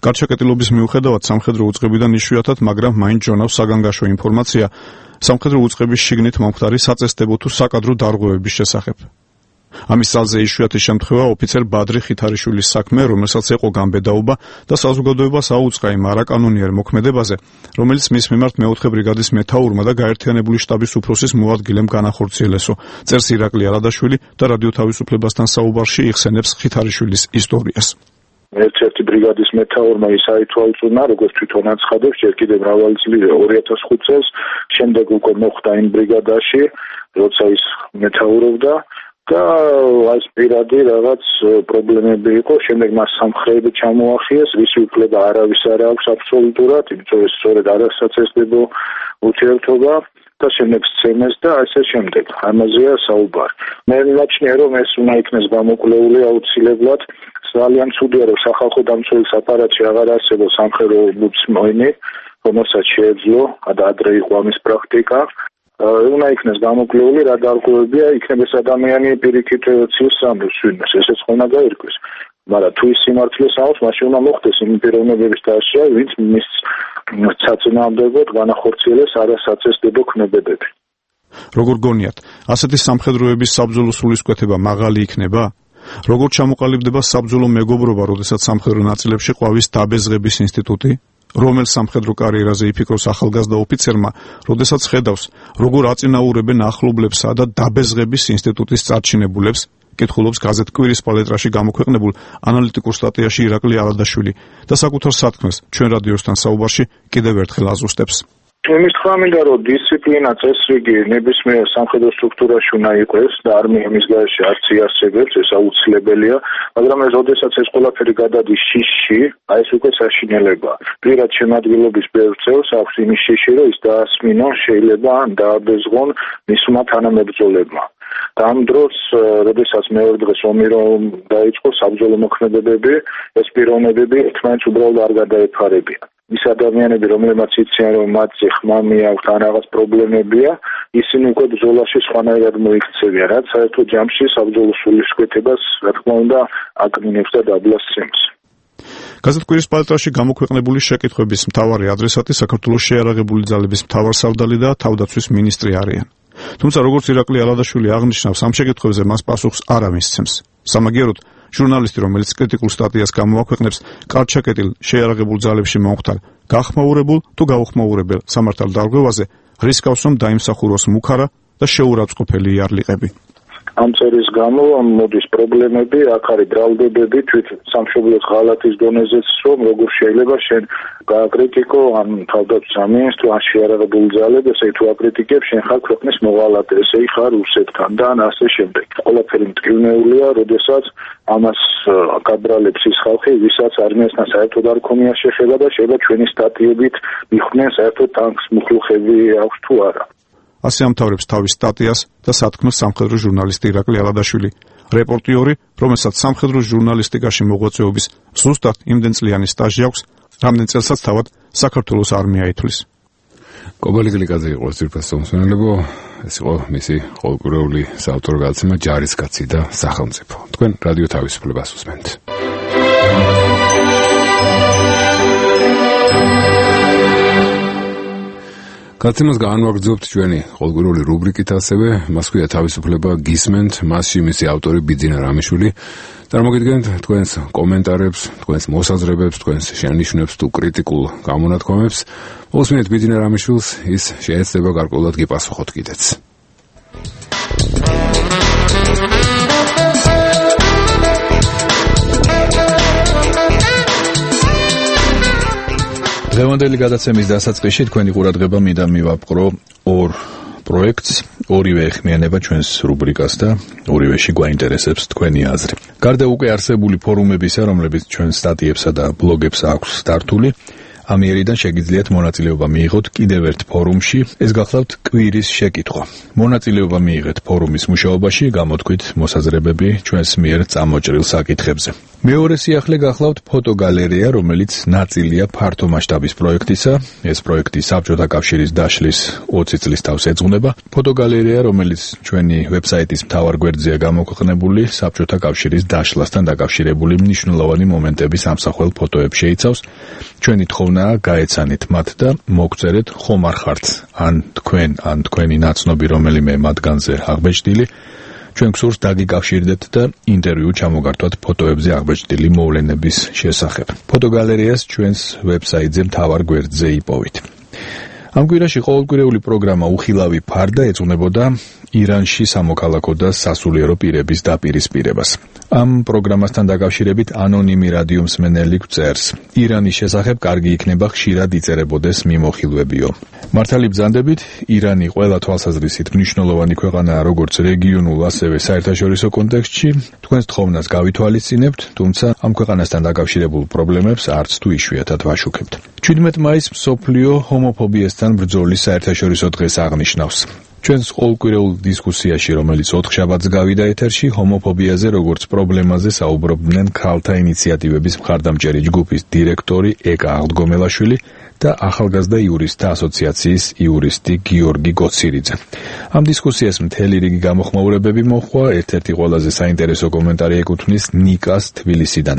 გარჩაკეტილობის მიუხედავად სამხედრო უწყებიდან იშვიათად, მაგრამ მაინც ჯონავს საგანგაშო ინფორმაცია სამხედრო უწყების შიგნით მომხდარი საწესდებო თუ საკადრო დარღვევების შესახებ. ამის ძალზე იშვიათი შემთხვევა ოფიცერ ბადრი ხითარიშვილის საქმე, რომელსაც ეყო გამბედაობა და საზოგადოებას აუწყა იმ არაკანონიერ მოქმედებაზე, რომელიც მის მიმართ მეოთხე ბრიგადის მეთაურმა და გაერთიანებული შტაბის უფროსის მოადგილემ განახორციელესო, წერს ირაკლი ალადაშვილი და რადიო თავისუფლებასთან საუბარში იხსენებს ხითარიშვილის ისტორიას. ერთ-ერთი ბრიგადის მეთაურმა ის აითვალწუნა, როგორც თვითონ აცხადებს, ჯერ კიდევ მრავალი წელი ორი ათას ხუთი წელს, შემდეგ უკვე მოხვდა იმ ბრიგადაში, როცა ის მეთაურობდა და ეს პირადი რაღაც პრობლემები იყო, შემდეგ მას სამხრები ჩამოახიეს, ვისი უფლება არავის არ აქვს აბსოლუტურად, იმიტომ ეს სწორედ არ ასაცესდებო ურთიერთობა და შემდეგ სცემეს და ასე შემდეგ. ამაზეა საუბარი. მე მივაჩნია, რომ ეს უნდა იქნეს გამოკვლეული აუცილებლად. ძალიან ცუდია, რომ სახალხო დამცველის აპარატში აღარ არსებობს სამხედრო ომბუდსმენი, რომელსაც შეეძლო და ადრე იყო ამის პრაქტიკა. უნდა იქნეს გამოკვლეული, რა დარღვევებია, იქნება ეს ადამიანი პირიქით ციოს სამბოს ვინმეს, ესეც უნდა გაირკვეს. მაგრამ თუ ის სიმართლეს აქვს, მაშინ უნდა მოხდეს იმ პიროვნებების დასჯა, ვინც მის საწინააღმდეგოდ განახორციელეს არასაწესდებო ქმედებები. როგორ გონიათ, ასეთი სამხედროების საბრძოლო სულისკვეთება მაღალი იქნება? როგორ ჩამოყალიბდება საბრძოლო მეგობრობა, როდესაც სამხედრო ნაწილებში ყვავის დაბეზღების ინსტიტუტი? რომელ სამხედრო კარიერაზე იფიქროს ახალგაზრდა ოფიცერმა, როდესაც ხედავს, როგორ აწინაურებენ ახლობლებსა და დაბეზღების ინსტიტუტის წარჩინებულებს, კითხულობს გაზეთ კვირის პალიტრაში გამოქვეყნებულ ანალიტიკურ სტატიაში ირაკლი ალადაშვილი და საკუთარ სათქმეს ჩვენ რადიოსთან საუბარში კიდევ ერთხელ აზუსტებს. იმის თქვა მინდა, რომ დისციპლინა წესრიგი ნებისმიერ სამხედრო სტრუქტურაში უნდა იყოს და არმია მის გარეშე არც იარსებებს, ეს აუცილებელია, მაგრამ ეს როდესაც ეს ყველაფერი გადადის შიშში, აი ეს უკვე საშინელებაა. პირად შემადგენლობის ბევრ წევს აქვს იმის შიში, რომ ის დაასმინონ, შეიძლება ან დააბეზღონ მისმა თანამებრძოლებმა. და ამ დროს, როდესაც მეორე დღეს ომი რომ დაიწყო, საბრძოლო მოქმედებები, ეს პიროვნებები ერთმანეთს უბრალოდ არ გადაეფარებიან. ის ადამიანები, რომლებმაც იციან, რომ მათი ხმამი აქვს ან რაღაც პრობლემებია, ისინი უკვე ბრძოლაში სხვანაირად მოიქცევიან, რაც საერთოდ ჯამში საბრძოლო სულისკვეთებას, რა თქმა უნდა, აკნინებს და დაბლასცემს. გაზეთ კვირის პალატრაში გამოქვეყნებული შეკითხვების მთავარი ადრესატი საქართველოს შეიარაღებული ძალების მთავარსარდალი და თავდაცვის მინისტრი არიან. თუმცა როგორც ირაკლი ალადაშვილი აღნიშნავს, ამ შეკითხვებზე მას პასუხს არ ამისცემს. სამაგიეროდ, ჟურნალისტი, რომელიც კრიტიკულ სტატიას გამოაქვეყნებს, კარგ ჩაკეტილ შეიარაღებულ ძალებში მომხდარ, გახმაურებულ თუ გაუხმაურებელ სამართალ დარღვევაზე რისკავს, რომ დაიმსახუროს მუქარა და შეურაცხყოფელი იარლიყები. ამ წერის გამო მოდის პრობლემები, აქ არის ბრალდებები თვით სამშობლოს ღალატის დონეზეც, რომ როგორ შეიძლება შენ გააკრიტიკო ან თავდაცვის სამინისტრო ან შეიარაღებული ძალები, ესე თუ აკრიტიკებ, შენ ხარ ქვეყნის მოღალატე, ესე ხარ რუსეთთან და ან ასე შემდეგ. ყველაფერი მტკივნეულია, როდესაც ამას გაბრალებს ის ხალხი, ვისაც არმიასთან საერთოდ არ ქონია შეხება და შეიძლება ჩვენი სტატიებით მიხვდნენ საერთოდ ტანკს მუხლუხები აქვს თუ არა. ასე ამთავრებს თავის სტატიას და სათქმელს სამხედრო ჟურნალისტი ირაკლი ალადაშვილი, რეპორტიორი, რომელსაც სამხედრო ჟურნალისტიკაში მოღვაწეობის ზუსტად იმდენწლიანი სტაჟი აქვს, რამდენ წელსაც თავად საქართველოს არმია ითვლის. კობალი გლიკაძე იყო ძირფას მომსმენელებო, ეს იყო მისი ყოველკვირეული საავტორო გადაცემა ჯარისკაცი და სახელმწიფო. თქვენ რადიო თავისუფლებას უსმენთ. გადაცემას განვაგრძობთ ჩვენი ყოველკვირეული რუბრიკით, ასევე მას ქვია თავისუფლება გისმენთ, მასში მისი ავტორი ბიძინა რამიშვილი. წარმოგიდგენთ თქვენს კომენტარებს, თქვენს მოსაზრებებს, თქვენს შენიშვნებს თუ კრიტიკულ გამონათქვამებს. მოსმენთ ბიძინა რამიშვილს, ის შეეცდება გარკვეულად გიპასუხოთ კიდეც. დღევანდელი გადაცემის დასაწყისში თქვენი ყურადღება მინდა მივაპყრო ორ პროექტს, ორივე ეხმიანება ჩვენს რუბრიკას და ორივეში გვაინტერესებს თქვენი აზრი. გარდა უკვე არსებული ფორუმებისა, რომლებიც ჩვენ სტატიებსა და ბლოგებს აქვს დართული, ამიერიდან შეგიძლიათ მონაწილეობა მიიღოთ კიდევ ერთ ფორუმში, ეს გახლავთ კვირის შეკითხვა. მონაწილეობა მიიღეთ ფორუმის მუშაობაში, გამოთქვით მოსაზრებები ჩვენს მიერ წამოჭრილ საკითხებზე. მეორე სიახლე გახლავთ ფოტოგალერეა, რომელიც ნაწილია ფართო მასშტაბის პროექტისა. ეს პროექტი საბჭოთა კავშირის დაშლის ოცი წლის თავს ეძღვნება. ფოტოგალერეა, რომელიც ჩვენი ვებსაიტის მთავარ გვერდზეა გამოქვეყნებული, საბჭოთა კავშირის დაშლასთან დაკავშირებული მნიშვნელოვანი მომენტების ამსახველ ფოტოებს შეიცავს. ჩვენი თხოვნაა გაეცანით მათ და მოგწერეთ ხომ არ ხართ ან თქვენ ან თქვენი ნაცნობი რომელიმე მათგანზე აღბეჭდილი. ჩვენ გსურს დაგიკავშირდეთ და ინტერვიუ ჩამოგართვათ ფოტოებზე აღბეჭდილი მოვლენების შესახებ. ფოტოგალერეას ჩვენს ვებსაიტზე მთავარ გვერდზე იპოვით. ამ კვირაში ყოველკვირეული პროგრამა უხილავი ფარდა ეძღვნებოდა ირანში სამოქალაქო და სასულიერო პირების დაპირისპირებას. ამ პროგრამასთან დაკავშირებით ანონიმი რადიომსმენელი გვწერს: ირანის შესახებ კარგი იქნება ხშირად იწერებოდეს მიმოხილვებიო. მართალი ბრძანდებით, ირანი ყველა თვალსაზრისით მნიშვნელოვანი ქვეყანაა როგორც რეგიონულ, ასევე საერთაშორისო კონტექსტში. თქვენს თხოვნას გავითვალისწინებთ, თუმცა ამ ქვეყანასთან დაკავშირებულ პრობლემებს არც თუ იშვიათად ვაშუქებთ. ჩვიდმეტ მაისს მსოფლიო ჰომოფობიასთან ბრძოლის საერთაშორისო დღეს აღნიშნავს. ჩვენს ყოველკვირეულ დისკუსიაში, რომელიც ოთხშაბათს გავიდა ეთერში, ჰომოფობიაზე როგორც პრობლემაზე საუბრობდნენ ქალთა ინიციატივების მხარდამჭერი ჯგუფის დირექტორი ეკა აღდგომელაშვილი და ახალგაზრდა იურისტთა ასოციაციის იურისტი გიორგი გოცირიძე. ამ დისკუსიას მთელი რიგი გამოხმაურებები მოჰყვა, ერთ-ერთი ყველაზე საინტერესო კომენტარი ეკუთვნის ნიკას თბილისიდან.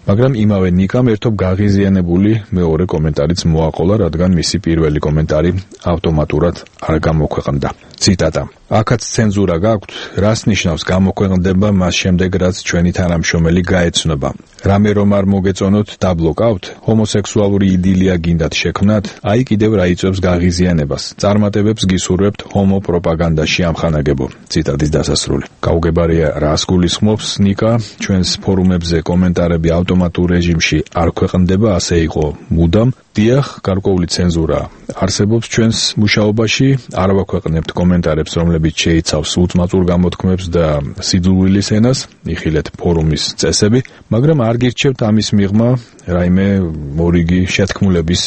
მაგრამ იმავე ნიკამ ერთობ გაღიზიანებული მეორე კომენტარიც მოაყოლა, რადგან მისი პირველი კომენტარი ავტომატურად არ გამოქვეყნდა. ციტატა: აქაც ცენზურა გაქვთ, რას ნიშნავს გამოქვეყნდება მას შემდეგ, რაც ჩვენი თანამშრომელი გაეცნობა. რამე რომ არ მოგეწონოთ, დაბლოკავთ, ჰომოსექსუალური იდილია გინდათ შექმნათ, აი კიდევ რა იწვევს გაღიზიანებას. წარმატებებს გისურვებთ ჰომოპროპაგანდაში ამხანაგებო. ციტატის დასასრული. გაუგებარია რას გულისხმობს ნიკა, ჩვენს ფორუმებზე კომენტარები ავტომატურ რეჟიმში არ ქვეყნდება, ასე იყო მუდამ. დიახ, გარკვეული ცენზურა არსებობს ჩვენს მუშაობაში, არ ვაქვეყნებთ კომენტარებს, რომლებიც შეთანხმებით შეიცავს უწმაწურ გამოთქმებს და სიძულვილის ენას, იხილეთ ფორუმის წესები, მაგრამ არ გირჩევთ ამის მიღმა რაიმე მორიგი შეთქმულების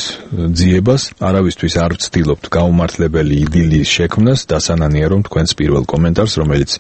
ძიებას, არავისთვის არ ვცდილობთ გაუმართლებელი იდილის შექმნას, დასანანიერო თქვენს პირველ კომენტარს, რომელიც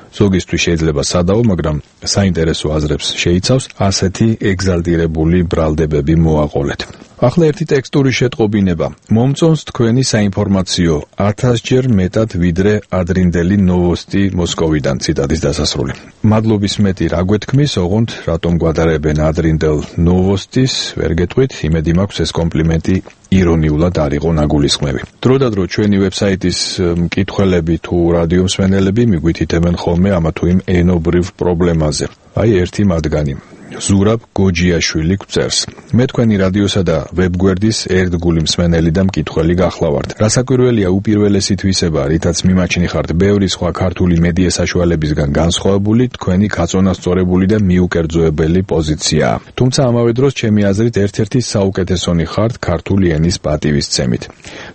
ზოგისთვის შეიძლება სადაო, მაგრამ საინტერესო აზრებს შეიცავს, ასეთი ეგზალტირებული ბრალდებები მოაყოლეთ. ახლა ერთი ტექსტური შეტყობინება. მომწონს თქვენი საინფორმაციო ათასჯერ მეტად ვიდრე ადრინდელი ნოვოსტი მოსკოვიდან, ციტატის დასასრული. მადლობის მეტი რა გვეთქმის, ოღონდ რატომ გვადარებენ ადრინდელ ნოვოსტის, ვერ გეტყვით, იმედი მაქვს ეს კომპლიმენტი ირონიულად არ იყო ნაგულისხმები. დროდადრო ჩვენი ვებსაიტის მკითხველები თუ რადიო მსმენელები მიგვითითებენ ხოლმე ამა თუ იმ ენობრივ პრობლემაზე. აი ერთი მათგანი. ზურაბ გოჯიაშვილი გვწერს. მე თქვენი რადიოსა და ვებგვერდის ერთგული მსმენელი და მკითხველი გახლავართ. რასაკვირველია უპირველესი თვისება, რითაც მიმაჩნი ხართ ბევრი სხვა ქართული მედია საშუალებისგან განსხვავებული, თქვენი გაწონასწორებული და მიუკერძოებელი პოზიციაა. თუმცა ამავე დროს ჩემი აზრით ერთ-ერთი საუკეთესონი ხართ ქართული ენის პატივისცემით.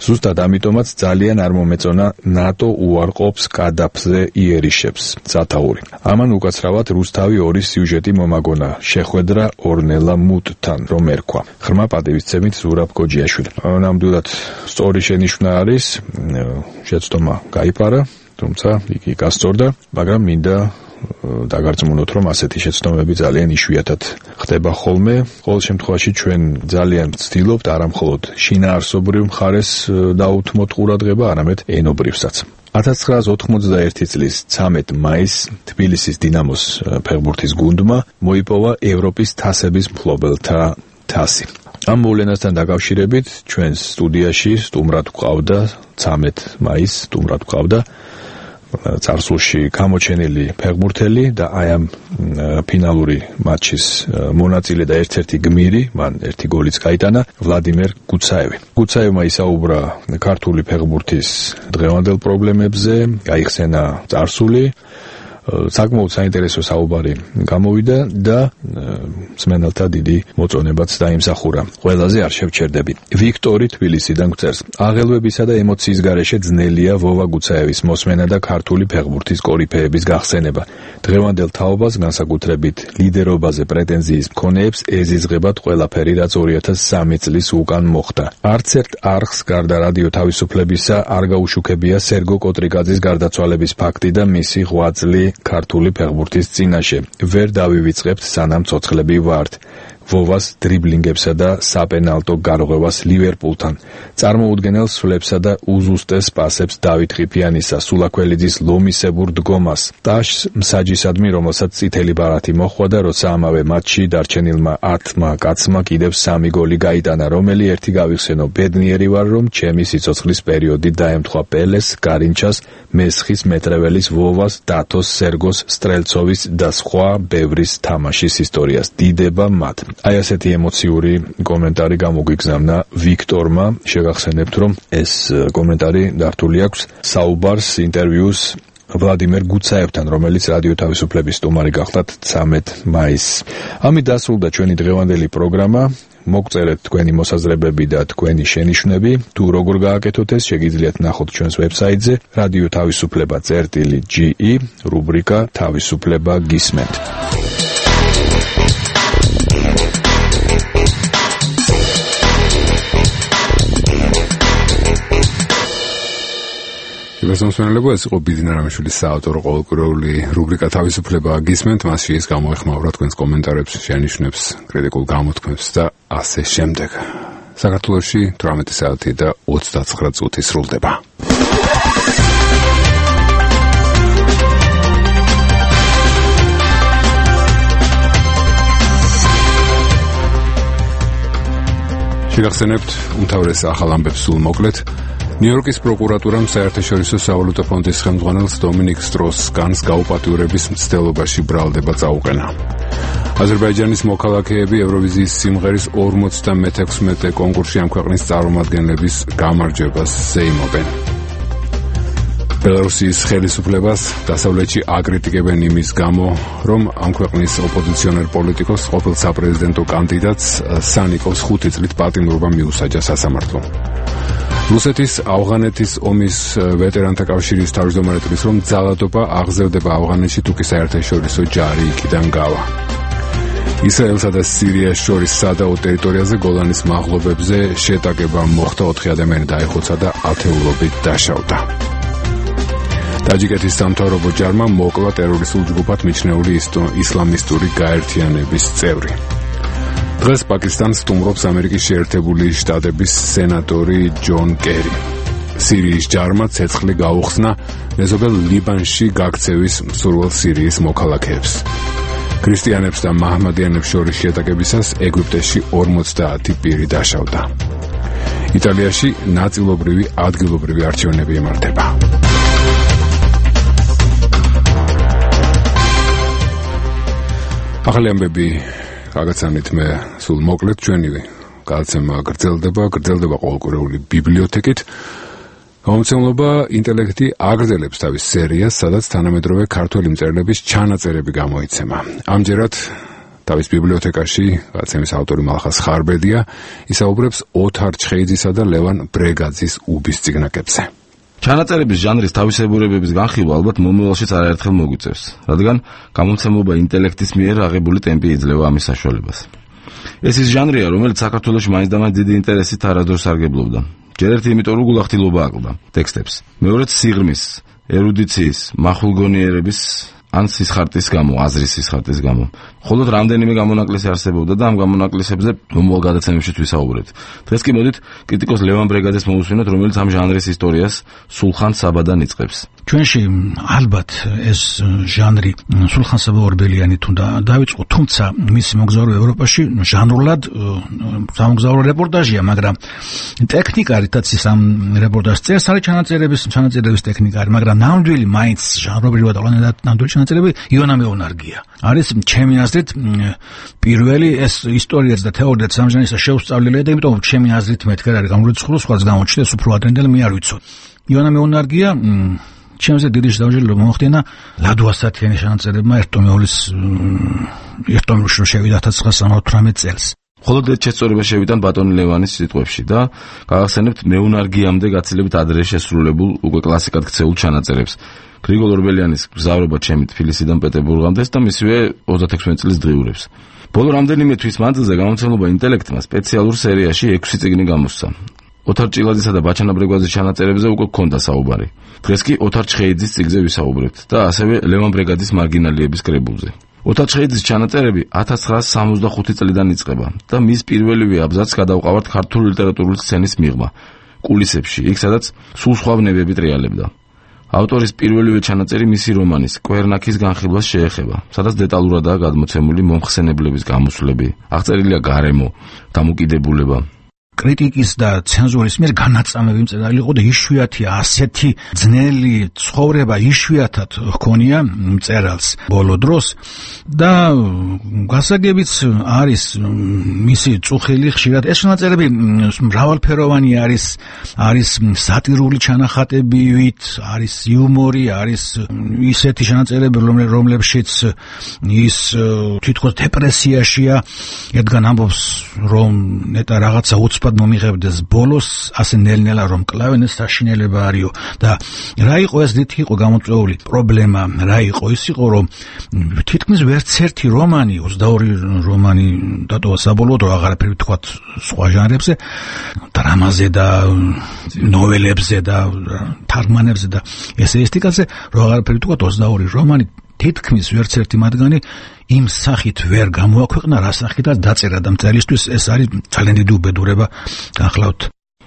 ზუსტად ამიტომაც ძალიან არ მომეწონა ნატო უარყოფს კადაფზე იერიშებს. სათაური. ამან უკაცრავად რუსთავი ორი სიუჟეტი მომაგონა. შეხვედრა ორნელა მუტთან, რომ ერქვა. ღრმა პატივისცემით ზურაბ გოჯიაშვილი. ნამდვილად სწორი შენიშვნა არის, შეცდომა გაიფარა, თუმცა იგი გასწორდა, მაგრამ მინდა დაგარწმუნოთ, რომ ასეთი შეცდომები ძალიან იშვიათად ხდება ხოლმე. ყოველ შემთხვევაში ჩვენ ძალიან ვცდილობთ არა მხოლოდ შინაარსობრივ მხარეს დაუთმოთ ყურადღება, არამედ ენობრივსაც. ათას ცხრაას ოთხმოცდაერთი წლის ცამეტ მაისს თბილისის დინამოს ფეხბურთის გუნდმა მოიპოვა ევროპის თასების მფლობელთა თასი. ამ მოვლენასთან დაკავშირებით ჩვენს სტუდიაში სტუმრად გვყავდა ცამეტ მაისს სტუმრად გვყავდა წარსულში გამოჩენილი ფეხბურთელი და აი ამ ფინალური მატჩის მონაწილე და ერთ-ერთი გმირი, მან ერთი გოლიც გაიტანა, ვლადიმერ გუცაევი. გუცაევმა ისაუბრა ქართული ფეხბურთის დღევანდელ პრობლემებზე, გაიხსენა წარსული, საკმაოდ საინტერესო საუბარი გამოვიდა და მსმენელთა დიდი მოწონებაც დაიმსახურა. ყველაზე არ შევჩერდები. ვიქტორი თბილისიდან გვწერს. აღელვებისა და ემოციის გარეშე ძნელია ვოვა გუცაევის მოსმენა და ქართული ფეხბურთის კორიფეების გახსენება. დღევანდელ თაობას, განსაკუთრებით ლიდერობაზე პრეტენზიის მქონეებს ეზიზღებათ ყველაფერი, რაც ორი ათას სამი წლის უკან მოხდა. არც ერთ არხს გარდა რადიო თავისუფლებისა არ გაუშუქებია სერგო კოტრიკაძის გარდაცვალების ფაქტი და მისი ღვაწლი ქართული ფეხბურთის წინაშე. ვერ დავივიწყებთ სანამ ცოცხლები ვართ. ვოვას დრიბლინგებსა და საპენალტო გარღვევას ლივერპულთან, წარმოუდგენელ სვლებსა და უზუსტეს პასებს დავით ყიფიანისა, სულაქველიძის ლომისებურ დგომას, ტაშს მსაჯისადმი, რომელსაც წითელი ბარათი მოჰყვა და როცა ამავე მატჩში დარჩენილმა ათმა კაცმა კიდევ სამი გოლი გაიტანა, რომელი ერთი გავიხსენო, ბედნიერი ვარ, რომ ჩემი სიცოცხლის პერიოდი დაემთხვა პელეს, გარინჩას, მესხის მეტრეველის, ვოვას, დათოს, სერგოს, სტრელცოვის და სხვა ბევრის თამაშის ისტორიას. დიდება მათ. აი ასეთი ემოციური კომენტარი გამოგვიგზავნა ვიქტორმა. შეგახსენებთ, რომ ეს კომენტარი დართული აქვს საუბარს, ინტერვიუს ვლადიმერ გუცაევთან, რომელიც რადიო თავისუფლების სტუმარი გახლდათ ცამეტ მაისს. ამით დასრულდა ჩვენი დღევანდელი პროგრამა. მოგწერეთ თქვენი მოსაზრებები და თქვენი შენიშვნები. თუ როგორ გააკეთოთ ეს, შეგიძლიათ ნახოთ ჩვენს ვებსაიტზე რადიო თავისუფლება წერტილი ჯი ი, რუბრიკა თავისუფლება გისმენთ. გასამსვენებელია, ეს იყო ბიძინა რამიშვილის საავტორო ყოველკვირეული რუბრიკა თავისუფლება გისმენთ, მასში ის გამოეხმაურა თქვენს კომენტარებს, შენიშვნებს, კრიტიკულ გამოთქმებს და ასე შემდეგ. საქართველოში თვრამეტი საათი და ოცდაცხრა წუთი სრულდება. შეგახსენებთ უმთავრეს ახალ ამბებს სულ მოკლედ. ნიუ-იორკის პროკურატურამ საერთაშორისო სავალუტო ფონდის ხელმძღვანელს დომინიკ სტროს-კანს გაუპატიურების მცდელობაში ბრალდება წაუყენა. აზერბაიჯანის მოქალაქეები ევროვიზიის სიმღერის ორმოცდამეექვსმეტე კონკურსში ამ ქვეყნის წარმომადგენლების გამარჯვებას ზეიმობენ. ბელარუსის ხელისუფლებას დასავლეთში აკრიტიკებენ იმის გამო, რომ ამ ქვეყნის ოპოზიციონერ პოლიტიკოს ყოფილ საპრეზიდენტო კანდიდატს სანიკოს ხუთი წლით პატიმრობა მიუსაჯა სასამართლომ. რუსეთის ავღანეთის ომის ვეტერანთა კავშირის თავმჯდომარე თვლის, რომ ძალადობა აღზევდება ავღანეთში თუკი საერთაშორისო ჯარი იქიდან გავა. ისრაელსა და სირიას შორის სადაო ტერიტორიაზე გოლანის მაღლობებზე შეტაკება მოხდა, ოთხი ადამიანი დაიხოცა და ათეულობით დაშავდა. ტაჯიკეთის სამთავრობო ჯარმა მოკლა ტერორისტულ ჯგუფად მიჩნეული ისლამისტური გაერთიანების წევრი. დღეს პაკისტანს სტუმრობს ამერიკის შეერთებული შტატების სენატორი ჯონ კერი. სირიის ჯარმა ცეცხლი გაუხსნა მეზობელ ლიბანში გაქცევის მსურველ სირიის მოქალაქეებს. ქრისტიანებს და მაჰმადიანებს შორის შეტაკებისას ეგვიპტეში ორმოცდაათი პირი დაშავდა. იტალიაში ნაწილობრივი ადგილობრივი არჩევნები იმართება. ახალი ამბები გაგაცანით მე სულ მოკლედ ჩვენი გადაცემა გრძელდება, გრძელდება ყოველკვირეული ბიბლიოთეკით. გამომცემლობა ინტელექტი აგრძელებს თავის სერიას, სადაც თანამედროვე ქართველი მწერლების ჩანაწერები გამოიცემა. ამჯერად თავის ბიბლიოთეკაში გადაცემის ავტორი მალხას ხარბედია ისაუბრებს ოთარ ჩხეიძისა და ლევან ბრეგაძის უბის წიგნაკებზე. ჩანაწერების ჟანრის თავისებურებების განხილვა ალბათ მომავალშიც არაერთხელ მოგვიწევს, რადგან გამომცემლობა ინტელექტის მიერ აღებული ტემპი იძლევა ამის საშუალებას. ეს ის ჟანრია, რომელიც საქართველოში მაინც და მაინც დიდი ინტერესით არასდროს სარგებლობდა. ჯერ ერთი იმიტომ, რომ გულახდილობა აკლდა ტექსტებს. მეორედ სიღრმის, ერუდიციის, მახვილგონიერების ან სისხარტის გამო, აზრის სისხარტის გამო. მხოლოდ რამდენიმე გამონაკლისი არსებობდა და ამ გამონაკლისებზე მომავალ გადაცემებში ვისაუბრებთ. დღეს კი მოდით კრიტიკოს ლევან ბრეგაძეს მოусვინოთ, რომელიც ამ ჟანრის ისტორიას სულხან საბადან იწყებს. ჩვენში ალბათ ეს ჟანრი სულხან საბა ორბელიანით უნდა დაიწყო, თუმცა მისი მოგზაურობა ევროპაში ჟანრულად სამოგზაურო რეპორტაჟია, მაგრამ ტექნიკა რითაც ის ამ რეპორტაჟს წერს, არის ჩანაწერების ჩანაწერების ტექნიკა, მაგრამ ნამდვილი მაინც ჟანრობრივად ნამდვილი ჩანაწერები იონა მეუნარგია. არის ჩემი აზრით პირველი ეს ისტორიაც და თეორიაც ამ ჟანრისა შეუსწავლელია და იმიტომ ჩემი აზრით მეთქე არის გამორიცხული, სხვაც გამოჩნდეს უფრო ადრინდელი მე არ ვიცოდი. იონა მეუნარგია ჩემზე დიდი შეჯიბრება მოახდინა ლადუასათიანი ჩანაწერებმა ერთომეულის ერთომეულში შევიდა ათას ცხრაასი სამოცდაოთხმეტ წელს. მხოლოდ ეს შეწორება შევიდან ბატონი ლევანის სიტყვებში და გავახსენებთ მეუნარგიამდე გაცილებით ადრე შესრულებულ უკვე კლასიკად ქცეულ ჩანაწერებს. გრიგოლ ორბელიანის გზავრობა ჩემი თბილისიდან პეტერბურგამდე და მისივე ოცდაექვსმეტ წლის დღიურებს. ბოლო რამდენიმე თვის მანძილზე გამომცემლობა ინტელექტმა სპეციალურ სერიაში ექვსი წიგნი გამოსცა. ოთარ ჭილაძისა და ბაჩანა ბრეგაძის ჩანაწერებზე უკვე ჰქონდა საუბარი. დღეს კი ოთარ ჩხეიძის წიგნზე ვისაუბრებთ და ასევე ლევან ბრეგაძის მარგინალიების კრებულზე. ოთარ ჩხეიძის ჩანაწერები ათას ცხრაასი სამოცდახუთი წლიდან იწყება და მის პირველივე აბზაცს გადავყავართ ქართული ლიტერატურული სცენის მიღმა კულისებში, იქ სადაც სულ სხვა ბნებები ტრიალებდა. ავტორის პირველივე ჩანაწერი მისი რომანის კვერნაქის განხილვას შეეხება, სადაც დეტალურადაა გადმოცემული მომხსენებლების გამოსვლები, აღწერილია გარემო, დამოკიდებულება. კრიტიკის და ცენზურის მიერ განაწამები მწერალი იყო და იშვიათია ასეთი ძნელი ცხოვრება იშვიათად ჰქონია მწერალს ბოლო დროს და გასაგებიც არის მისი წუხილი ხშირად ეს ჩანაწერები მრავალფეროვანი არის არის სატირული ჩანახატებით, არის იუმორი, არის ისეთი ჩანაწერები რომლებშიც ის თითქოს დეპრესიაშია, ერთგან ამბობს რომ ნეტა რაღაცა უცბად მომიღებდეს ბოლოს, ასე ნელ-ნელა რომ კლავენ ეს საშინელება არისო და რა იყო ეს რითი იყო გამოწვეული პრობლემა, რა იყო ის იყო რომ თითქმის ვერც ერთი რომანი, ოცდაორი რომანი დატოვა საბოლოოდ, აღარაფერი ვთქვათ სხვა ჟანრებზე, დრამაზე და ნოველებზე და თარგმანებზე და ესეისტიკაზე, რომ აღარაფერი ვთქვათ ოცდაორი რომანი თითქმის ვერც ერთი მათგანი იმ სახით ვერ გამოაქვეყნა, რა სახითაც დაწერა და მწერლისთვის ეს არის ძალიან დიდი უბედურება. გახლავთ.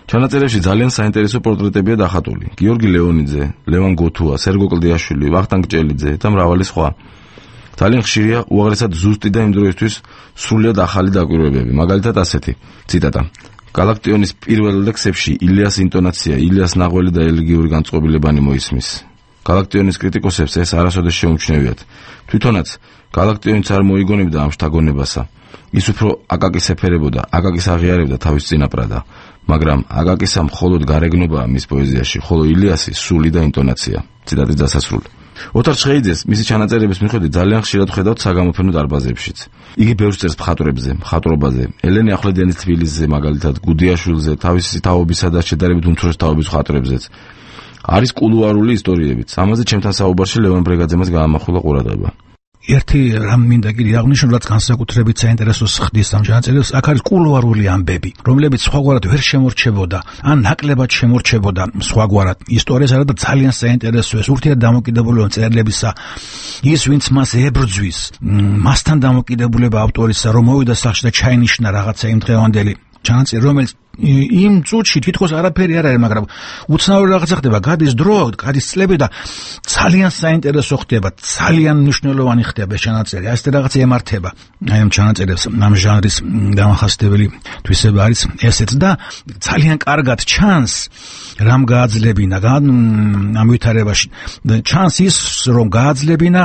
ჩანაწერებში ძალიან საინტერესო პორტრეტებია დახატული. გიორგი ლეონიძე, ლევან გოთუა, სერგო კლდიაშვილი, ვახტანგ ჭელიძე და მრავალი სხვა. ძალიან ხშირია უაღრესად ზუსტი და იმ დროისთვის სრულიად ახალი დაკვირვებები. მაგალითად ასეთი ციტატა. გალაქტიონის პირველ ლექსებში ილიას ინტონაცია, ილიას ნაღველი და ელეგიური განწყობილებანი მოისმის. გალაქტიონის კრიტიკოსებს ეს არასოდეს შეუმჩნევიათ. თვითონაც გალაქტიონიც არ მოიგონებდა ამ შთაგონებასა. ის უფრო აკაკის ეფერებოდა, აკაკის აღიარებდა თავის წინაპრადა. მაგრამ აკაკისა მხოლოდ გარეგნობაა მის პოეზიაში, ხოლო ილიასი სული და ინტონაცია. ციტატის დასასრული. ოთარ ჩხეიძეს მისი ჩანაწერების მიხედვით ძალიან ხშირად ხედავთ საგამოფენო დარბაზებშიც. იგი ბევრს წერს მხატვრებზე, მხატვრობაზე, ელენე ახვლედიანის თბილისზე, მაგალითად, გუდიაშვილზე, თავისი თაობისა და შედარებით უმცროს თაობის მხატვრებზეც. არის კულუარული ისტორიებიც. ამაზე ჩემთან საუბარში ლევან ბრეგაძემაც გაამახვილა ყურადღება. ერთი რამ მინდა კიდე აღნიშნო, რაც განსაკუთრებით საინტერესოს ხდის ამ ჩანაწერებს, აქ არის კულუარული ამბები, რომლებიც სხვაგვარად ვერ შემორჩებოდა, ან ნაკლებად შემორჩებოდა სხვაგვარად ისტორიას, არა და ძალიან საინტერესოა ეს ურთიერთ დამოკიდებულება წერილებისა, ის ვინც მას ებრძვის, მასთან დამოკიდებულება ავტორისა, რომ მოვიდა სახლში და ჩაინიშნა რაღაცა იმ დღევანდელი ჩანაწერი, რომელიც იმ წუთში თითქოს არაფერი არ არის, მაგრამ უცნაური რაღაცა ხდება, გადის დრო, გადის წლები და ძალიან საინტერესო ხდება, ძალიან მნიშვნელოვანი ხდება ეს ჩანაწერი. ასე რაღაცა ემართება. აი ამ ჩანაწერებს ამ ჟანრის დამახასიათებელი თვისება არის ესეც და ძალიან კარგად ჩანს რამ გააძლებინა ამ ვითარებაში. ჩანს ის, რომ გააძლებინა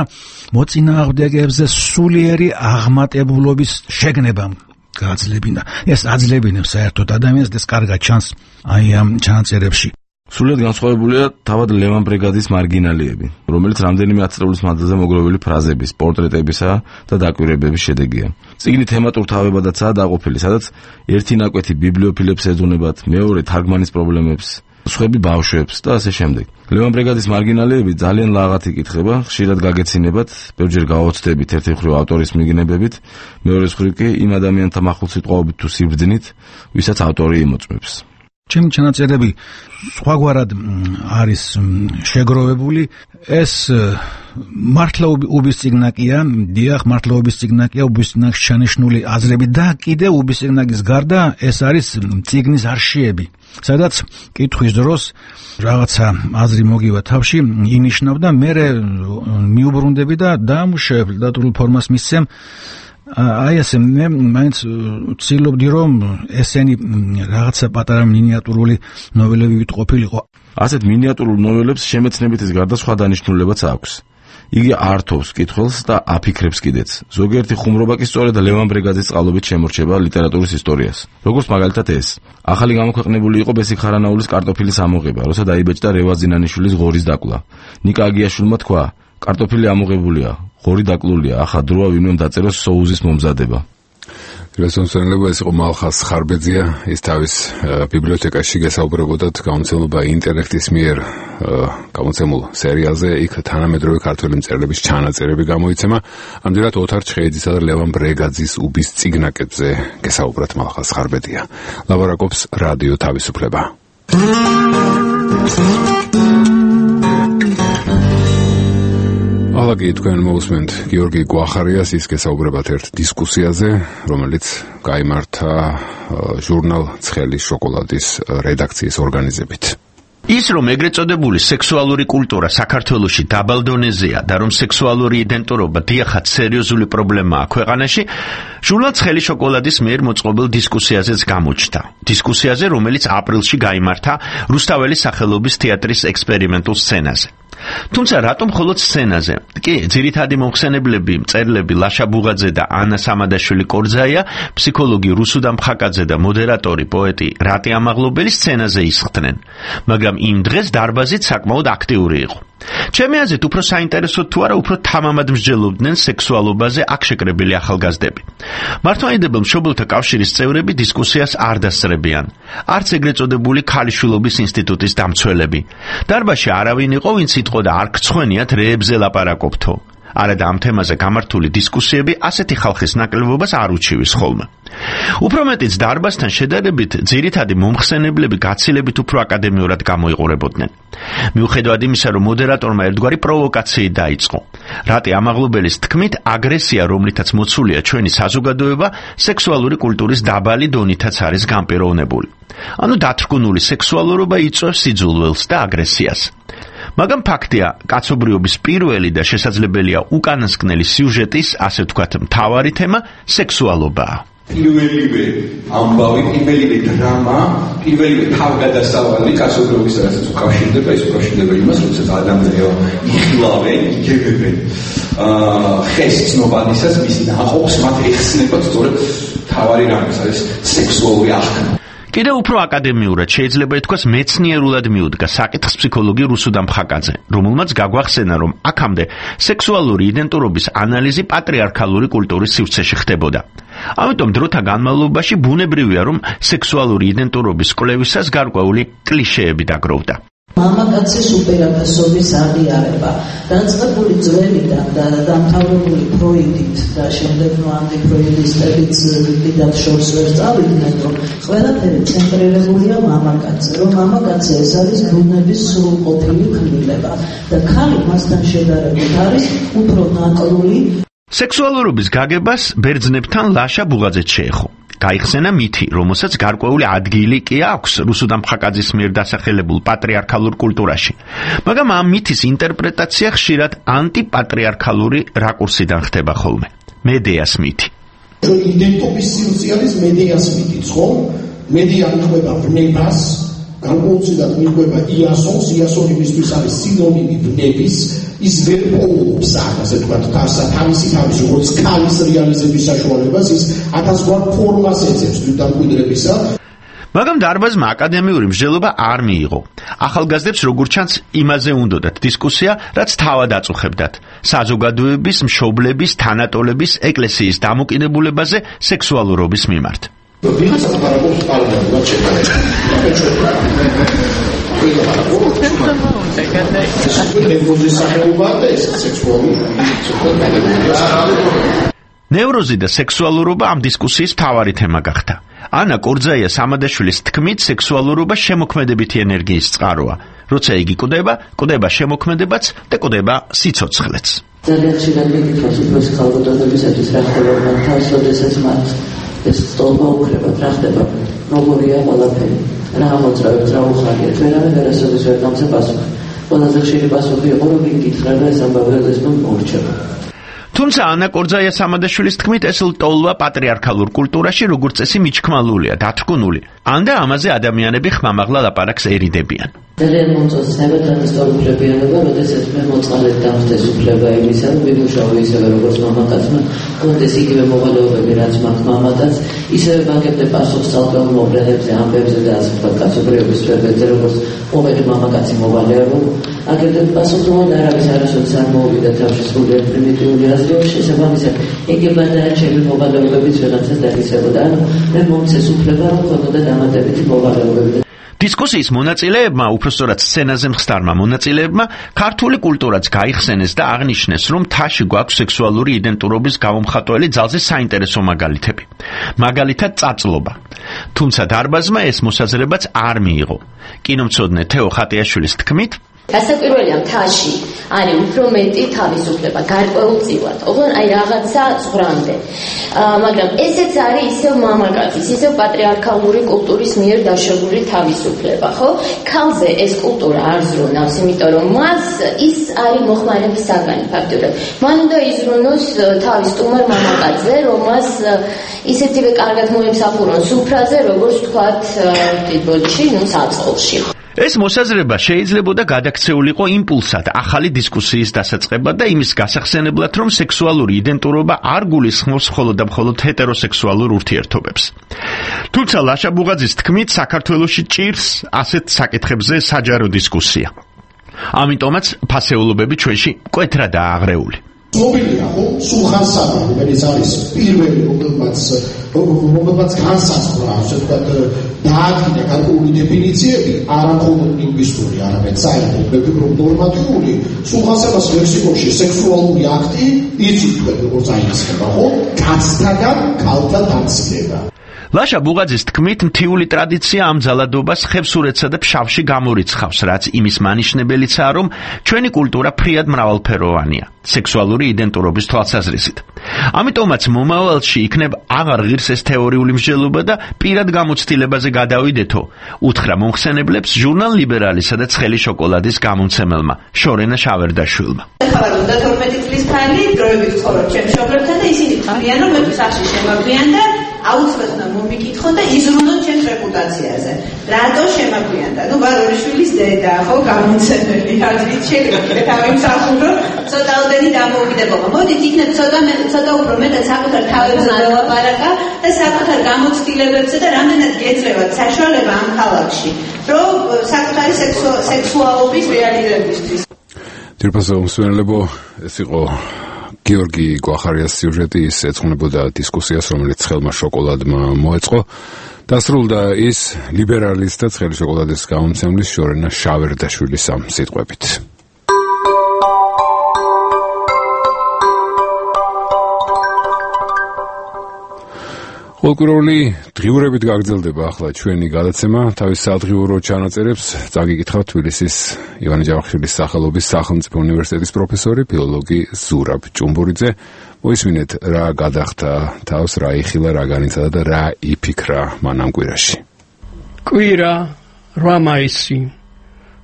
მოწინააღმდეგეებზე სულიერი აღმატებულობის შეგნებამ. გააძლებინა. ეს აძლებინებს საერთოდ ადამიანს და ეს კარგად ჩანს აი ამ ჩანაწერებში. სულად განსხვავებულია თავად ლევან ბრეგაძის მარგინალიები, რომელიც რამდენიმე ათწლეულის მანძილზე მოგროვილი ფრაზების, პორტრეტებისა და დაკვირვებების შედეგია. წიგნი თემატურ თავებადაცაა დაყოფილი, სადაც ერთი ნაკვეთი ბიბლიოფილებს ეძუნებათ, მეორე თარგმანის პრობლემებს, სხვები ბავშვებს და ასე შემდეგ. ლევან ბრეგაძის მარგინალიები ძალიან ლაღად იკითხება, ხშირად გაგეცინებათ, ბევრჯერ გაოცდებით ერთი მხრივ ავტორის მიგნებებით, მეორე მხრივ კი იმ ადამიანთა მახულსიტყვაობით თუ სიბრძნით, ვისაც ავტორი იმოწმებს. ჩემი ჩანაწერები სხვაგვარად არის შეგროვებული. ეს მართლა უბისწიგნაკია, დიახ, მართლა უბისწიგნაკია, უბისწიგნაკს ჩანიშნული აზრები და კიდე უბისწიგნაკის გარდა ეს არის წიგნის არშიები, სადაც კითხვის დროს რაღაცა აზრი მოგივა თავში, ინიშნავ და მე მიუბრუნდები და დაამუშავებ და დატვირთულ ფორმას მისცემ. აი ესე მე მაინც ვცდილობდი რომ ესენი რაღაცა პატარა მინიატურული ნოველები ვიტყופილიყო. ასეთ მინიატურულ ნოველებს შემეცნებითის გარდა სხვა დანიშნულებაც აქვს. იგი ართობს კითხველს და აფიქრებს კიდეც. ზოგიერთი ხუმრობა კი სწორედ ლევან ბრეგაძის წყალობით შემორჩება ლიტერატურის ისტორიას. როგორც მაგალითად ეს. ახალი გამოქვეყნებული იყო ბესიკ ხარანაულის კარტოფილის ამოღება, როცა დაიბეჭდა რევაზ ზინანიშვილის ღორის დაკლა. ნიკა აგიაშვილმა თქვა: კარტოფილი ამოღებულია, ღორი დაკლულია, ახლა დროა ვინმე დაწეროს სოუზის მომზადება. რესონსონელება ეს იყო მალხას ხარბეძია, ის თავის ბიბლიოთეკაში გესაუბრებოდათ გამოცემულობა ინტელექტის მიერ გამოცემულ სერიალზე, იქ თანამედროვე ქართველი მწერლების ჩანაწერები გამოიცემა. ამდენად ოთარ ჩხეიძისა და ლევან ბრეგაძის უბისწიგნაკებზე გესაუბრათ მალხას ხარბეძია. ლაბორაკობს რადიო თავისუფლება. ალაგი თქვენ მოусმენთ გიორგი გვახარიას, ის გესაუბრებათ ერთ დისკუსიაზე, რომელიც გაიმართა ჟურნალ ცხელი შოკოლადის რედაქციის ორგანიზებით. ის რომ ეგრეთ წოდებული სექსუალური კულტურა საქართველოში დაბალ დონეზეა და რომ სექსუალური იდენტურობა დიახაც სერიოზული პრობლემაა ქვეყანაში, ჟურნალ ცხელი შოკოლადის მიერ მოწყობილ დისკუსიაზეც გამოჩნდა. დისკუსიაზე, რომელიც აპრილში გაიმართა რუსთაველის სახელობის თეატრის ექსპერიმენტულ სცენაზე. თუმცა რატომ მხოლოდ სცენაზე? კი, ძირითადი მომხსენებლები, მწერლები ლაშა ბუღაძე და ანა სამადაშვილი კორძაია, ფსიქოლოგი რუსუდა მხაკაძე და მოდერატორი პოეტი რატი ამაღლობელი სცენაზე ისხდნენ. მაგრამ იმ დღეს დარბაზით საკმაოდ აქტიური იყო. ჩემი აზრით უფრო საინტერესო თუ არა უფრო თამამად მსჯელობდნენ სექსუალობაზე აქ შეკრებილი ახალგაზრდები. მართლმადიდებელ მშობელთა კავშირის წევრები დისკუსიას არ დასწრებიან. არც ეგრეთ წოდებული ქალიშვილობის ინსტიტუტის დამცველები. დარბაზში არავინ იყო, ვინც იტყოდა არ გცხვენიათ რეებზე ლაპარაკობთო. არა და ამ თემაზე გამართული დისკუსიები ასეთი ხალხის ნაკლებობას არ უჩივის ხოლმე. უფრო მეტიც დარბაზთან შედარებით ძირითადი მომხსენებლები გაცილებით უფრო აკადემიურად გამოიყურებოდნენ. მიუხედავად იმისა, რომ მოდერატორმა ერთგვარი პროვოკაციით დაიწყო. რატი ამაღლობელის თქმით, აგრესია, რომლითაც მოცულია ჩვენი საზოგადოება, სექსუალური კულტურის დაბალი დონითაც არის განპირობებული. ანუ დათრგუნული სექსუალურობა იწვევს სიძულველს და აგრესიას. მაგრამ ფაქტია, კაცობრიობის პირველი და შესაძლებელია უკანასკნელი სიუჟეტის, ასე ვთქვათ, მთავარი თემა სექსუალობაა. პირველივე ამბავი, პირველივე დრამა, პირველივე თავგადასავალი კაცობრიობის რასაც უკავშირდება, ის უკავშირდება იმას, როდესაც ადამიანები იხილავენ, იგებებენ ხეს ცნობადისას მის ნაყოფს, მათ ეხსნებათ სწორედ მთავარი რამის, არის სექსუალური აღქმა. კიდევ უფრო აკადემიურად შეიძლება ითქვას მეცნიერულად მიუდგა საკითხს ფსიქოლოგი რუსუდამ ხაკაძე, რომელმაც გაგვახსენა, რომ აქამდე სექსუალური იდენტურობის ანალიზი პატრიარქალური კულტურის სივრცეში ხდებოდა. ამიტომ დროთა განმავლობაში ბუნებრივია, რომ სექსუალური იდენტურობის კვლევისას გარკვეული კლიშეები დაგროვდა. მამაკაცის უპირატესობის აღიარება დაწყებული ძველიდან და დამთავრებული ფროიდით და შემდეგ ანტიფროიდისტებიც დიდად შორს ვერ წავიდნენ, რომ ყველაფერი ცენტრირებულია მამაკაცზე, რომ მამაკაცი ეს არის ბუნების სრულყოფილი ქმნილება და ქალი მასთან შედარებით არის უფრო ნაკლული. სექსუალურობის გაგებას ბერძნებთან ლაშა ბუღაძეც შეეხო. გაიხსენა მითი, რომელსაც გარკვეული ადგილი კი აქვს რუსუდამ ხაკაძის მიერ დასახელებულ პატრიარქალურ კულტურაში. მაგრამ ამ მითის ინტერპრეტაცია ხშირად ანტიპატრიარქალური რაკურსიდან ხდება ხოლმე. მედეას მითი. იდენტობის სივრცე არის მედეას მითი, ხო? მედეა მიყვება ვნებას, განკუთვნილად მიყვება იასონს, იასონი მისთვის არის სინონიმი ვნების, ის ვერ პოულობს ასე თქვათ თავსა თავისი თავის როგორც ქალის რეალიზების საშუალებას, ის ათასგვარ ფორმას ეძებს თვითდამკვიდრებისა. მაგრამ დარბაზმა აკადემიური მსჯელობა არ მიიღო. ახალგაზრდებს როგორც ჩანს იმაზე უნდოდათ დისკუსია, რაც თავად აწუხებდათ. საზოგადოების, მშობლების, თანატოლების, ეკლესიის დამოკიდებულებაზე სექსუალურობის მიმართ. ვიღაცა პარაგრაფს პარალელურად შეგანება. ნევროზი და სექსუალურობა ამ დისკუსიის მთავარი თემა გახდა. ანა კორძაია სამადაშვილის თქმით, სექსუალურობა შემოქმედებითი ენერგიის წყაროა. როცა იგი კვდება, კვდება შემოქმედებაც და კვდება სიცოცხლეც. ძალიან ხშირად მეკითხავს უფროსი ხალხობრივებისათვის რა ხდება მათ თავს, როდესაც მათ ეს სტოლბა უქრებათ, რა ხდება, როგორია ყველაფერი, რა მოძრავებს, რა უხარიათ, ვერავინ ვერასოდეს ვერ დამცე პასუხი. ყველაზე ხშირი პასუხი იყო, რომ იგი გითხრა და ეს ამბავი როდესმე მორჩება. თუმცა ანა კორძაია სამადაშვილის თქმით, ეს ლტოლვა პატრიარქალურ კულტურაში როგორც წესი მიჩქმალულია, დათრგუნული. ან და ამაზე ადამიანები ხმამაღლა ლაპარაკს ერიდებიან. ძალიან მომწონს სამედანის უფლებიანობა, როდესაც მე მოწყალეთ დამხდეს უფლება იმისა, რომ ვიმუშაო ისევე როგორც მამაკაცმა, კონდეს იგივე მოვალეობები, რაც მაქვს მამაკაც, ისევე ვაგებდე პასუხს ცალკეულ მოვლენებზე, ამბებზე და ასე ვთქვათ, კაცობრიობის სფეროებზე, როგორც ყოველი მამაკაცი მოვალეა, რომ აგებდე პასუხს, რომ არავის არასოდეს არ მოვიდა თავში სრულიად პრიმიტიული აზრი, შესაბამისად ეგება და ჩემი მოვალეობებიც ვიღაცას დაგისებოდა, ანუ მე მომცეს უფლება, რომ ქონოდა დამატებითი მოვალეობები. დისკუსიის მონაწილეებმა, უпростоრად სცენაზე მხსდარმა მონაწილეებმა, ქართული კულტურაც გაიხსენეს და აღნიშნეს, რომ მთაში გვაქვს სექსუალური იდენტურობის გამომხატველი ძალზე საინტერესო მაგალითები. მაგალითად წაწლობა. თუმცა დარბაზმა ეს მოსაზრებაც არ მიიღო. კინომცოდნე თეო ხატიაშვილის თქმით, გასაკვირველია მთაში არის უფრო მეტი თავისუფლება, გარკვეულწილად, ოღონ აი რაღაცა ზღვრამდე. მაგრამ ესეც არის ისევ მამაკაცის, ისევ პატრიარქალური კულტურის მიერ დაშვებული თავისუფლება, ხო? ქალზე ეს კულტურა არ ზრუნავს, იმიტომ რომ მას ის არის მოხმარების საგანი ფაქტობრივად. მან უნდა იზრუნოს თავის სტუმარ მამაკაცზე, რომ მას ისეთივე კარგად მოემსახურონ სუფრაზე, როგორც თქვათ თითბოდში, ნუ საწყლში. ეს მოსაზრება შეიძლებოდა გადაქცეულიყო იმპულსად ახალი დისკუსიის დასაწყებად და იმის გასახსენებლად, რომ სექსუალური იდენტურობა არ გულისხმობს მხოლოდ და მხოლოდ ჰეტეროსექსუალურ ურთიერთობებს. თუმცა ლაშა ბუღაძის თქმით, საქართველოში ჭირს ასეთ საკითხებზე საჯარო დისკუსია. ამიტომაც ფასეულობები ჩვენში მკვეთრადაა აღრეული. მობილია ხო სულხან საბა, რომელიც არის პირველი რომელმაც რომელმაც განსაზღვრა ასე ვთქვათ დაადგინა გარკვეული დეფინიციები, არა მხოლოდ ლინგვისტური, არამედ საერთო ნორმატიული. სულხან საბას ლექსიკონში სექსუალური აქტი იცით თქვენ როგორც აიხსნება ხო კაცთაგან ქალთა დამცირება. ლაშა ბუღაძის თქმით, მთიული ტრადიცია ამ ძალადობას ხევსურეთსა და ფშავში გამორიცხავს, რაც იმის მანიშნებელიცაა, რომ ჩვენი კულტურა ფრიად მრავალფეროვანია, სექსუალური იდენტურობის თვალსაზრისით. ამიტომაც მომავალში იქნებ აღარ ღირს ეს თეორიული მსჯელობა და პირად გამოცდილებაზე გადავიდეთო, უთხრა მომხსენებლებს ჟურნალ ლიბერალისა და ცხელი შოკოლადის გამომცემელმა შორენა შავერდაშვილმა. ხარ უნდა თორმეტი წლის ქალი დროებით ცხოვრობ ჩემ მშობლებთან და ისინი ხარიან რომ მე სახში შემოგვიან და აუცილებლად უნდა მომიკითხონ და იზრუნონ ჩემს რეპუტაციაზე. რატო შემაგვიანდა? ნუ ვარორიშვილის დედა, ხო, გამომცემელი აზრით შეგეკითხეთ ამისახურო, ცოტაოდენი დამოუკიდებლობა. მოდით იქნებ ცოტა ცოტა უფრო მეტად საკუთარ თავებზე ველაპარაკა და საკუთარ გამოცდილებებზე და რამდენად გეძლევათ საშუალება ამ ქალაქში, რომ საკუთარი სექსუალობის რეალიზებისთვის. თირფასო მსმენელებო, ეს იყო გიორგი გვახარიას სიუჟეტი, ის ეძღვნებოდა დისკუსიას, რომელიც ცხელმა შოკოლადმა მოეწყო. დასრულდა ის ლიბერალის და ცხელი შოკოლადის გამომცემლის შორენა შავერდაშვილის ამ სიტყვებით. ყოველკვირეული დღიურებით გაგრძელდება ახლა ჩვენი გადაცემა. თავის სადღიურო ჩანაწერებს წაგიკითხავთ თბილისის ივანე ჯავახიშვილის სახელობის სახელმწიფო უნივერსიტეტის პროფესორი, ფილოლოგი ზურაბ ჭუმბურიძე. მოისმინეთ რა გადახდა თავს, რა იხილა, რა განიცადა და რა იფიქრა მან ამ კვირაში. კვირა რვა მაისი.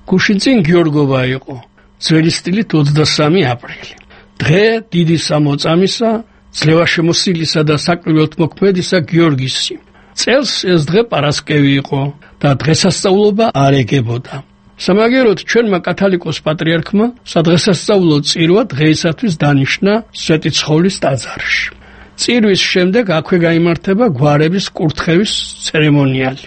გუშინწინ გიორგობა იყო. ძველი სტილით ოცდასამი აპრილი. დღე დიდი სამოწამისა, ძლევაშემოსილისა და საკვირველთ მოქმედისა გიორგისი. წელს ეს დღე პარასკევი იყო და დღესასწაულობა არ ეგებოდა. სამაგეროდ ჩვენმა კათოლიკოს პატრიარქმა სადღესასწაულო წირვა დღეისათვის დანიშნა სვეტიცხოვლის ტაძარში. წირვის შემდეგ აქვე გაიმართება გვარების კურთხევის ცერემონიალი.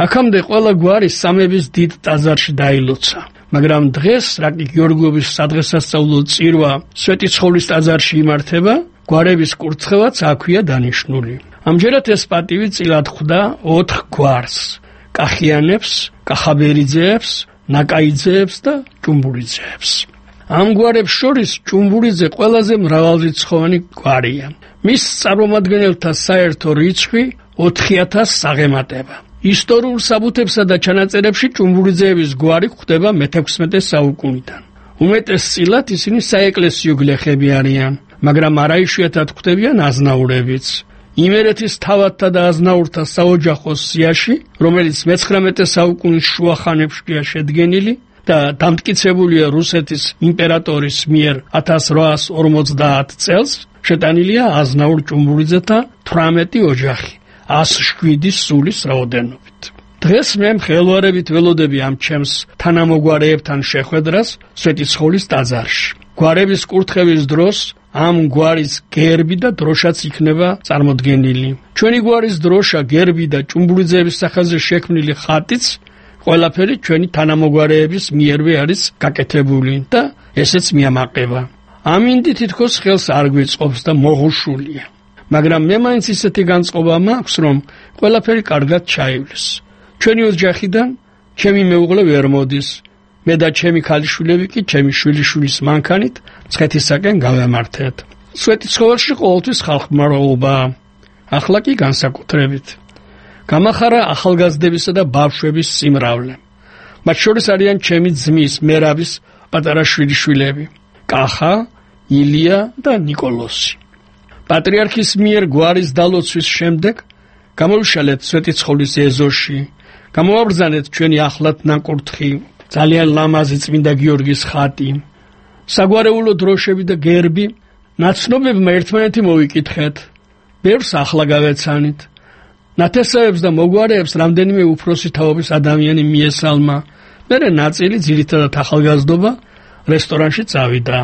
აქამდე ყველა გვარი სამების დიდ ტაძარში დაილოცა. მაგრამ დღეს რაკი გიორგობის სადღესასწაულო წირვა სვეტიცხოვლის ტაძარში იმართება, გვარების კურთხევაც აქვეა დანიშნული. ამჯერად ეს პატივი წილად ხვდა ოთხ გვარს: კახიანებს, კახაბერიძეებს, ნაკაიძეებს და ჭუმბურიძეებს. ამ გვარებს შორის ჭუმბურიძე ყველაზე მრავალრიცხოვანი გვარია. მის წარმომადგენელთა საერთო რიცხვი ოთხი ათასს აღემატება. ისტორიულ საბუთებსა და ჩანაწერებში ჭუმბურიძეების გვარი ხვდება მეთექვსმეტე საუკუნიდან. უმეტესწილად ისინი საეკლესიო გლეხები არიან, მაგრამ არაიშვიათად ხვდებიან აზნაურებიც. იმერეთის თავადთა და აზნაურთა საოჯახო სიაში, რომელიც მეცხრამეტე საუკუნის შუახანებშია შედგენილი და დამტკიცებულია რუსეთის იმპერატორის მიერ ათას რვაას ორმოცდაათ წელს, შეტანილია აზნაურ ჭუმბურიძეთა თვრამეტი ოჯახი, ას შვიდი სულის რაოდენობით. დღეს მე მხელვარებით ველოდები ამ ჩემს თანამოგვარეებთან შეხვედრას სვეტიცხოვლის ტაძარში. გვარების კურთხევის დროს ამ გვარის გერბი და დროშაც იქნება წარმოდგენილი. ჩვენი გვარის დროშა, გერბი და ჭუმბურიძეების სახელზე შექმნილი ხატიც ყველაფერი ჩვენი თანამოგვარეების მიერვე არის გაკეთებული და ესეც მიამაყება. ამინდი თითქოს ხელს არ გვიწყობს და მოღუშულია. მაგრამ მე მაინც ისეთი განწყობა მაქვს, რომ ყველაფერი კარგად ჩაივლის. ჩვენი ოჯახიდან ჩემი მეუღლე ვერ მოდის. მე და ჩემი ქალიშვილები კი ჩემი შვილიშვილის მანქანით მცხეთისაკენ გავემართეთ. სვეტიცხოველში ყოველთვის ხალხმრავლობაა. ახლა კი განსაკუთრებით. გამახარა ახალგაზრდებისა და ბავშვების სიმრავლე. მათ შორის არიან ჩემი ძმის მერაბის პატარა შვილიშვილები, კახა, ილია და ნიკოლოსი. პატრიარქის მიერ გვარის დალოცვის შემდეგ გამოვიშალეთ სვეტიცხოვლის ეზოში, გამოვაბრძანეთ ჩვენი ახლად ნაკურთხი, ძალიან ლამაზი წმინდა გიორგის ხატი, საგვარეულო დროშები და გერბი. ნაცნობებმა ერთმანეთი მოვიკითხეთ, ბევრს ახლა გავეცანით. ნათესავებს და მოგვარეებს რამდენიმე უფროსი თაობის ადამიანი მიესალმა. მერე ნაწილი, ძირითადად ახალგაზრდობა, რესტორანში წავიდა.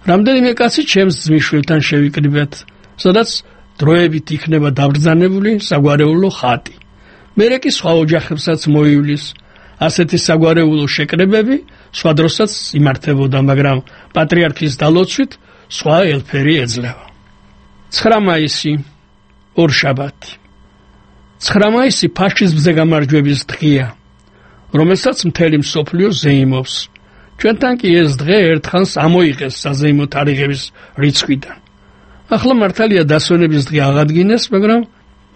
რამდენიმე კაცი ჩემს ძმისშვილთან შევიკრიბეთ, სადაც დროებით იქნება დაბრძანებული საგვარეულო ხატი. მერე კი სხვა ოჯახებსაც მოივლის. ასეთი საგვარეულო შეკრებები სხვა დროსაც იმართებოდა, მაგრამ პატრიარქის დალოცვით სხვა ელფერი ეძლევა. ცხრა მაისი, ორშაბათი. ცხრა მაისი ფაშიზმზე გამარჯვების დღეა, რომელსაც მთელი მსოფლიო ზეიმობს. ჩვენთან კი ეს დღე ერთხანს ამოიღეს საზეიმო თარიღების რიცხვიდან. ახლა მართალია დასვენების დღე აღადგინეს, მაგრამ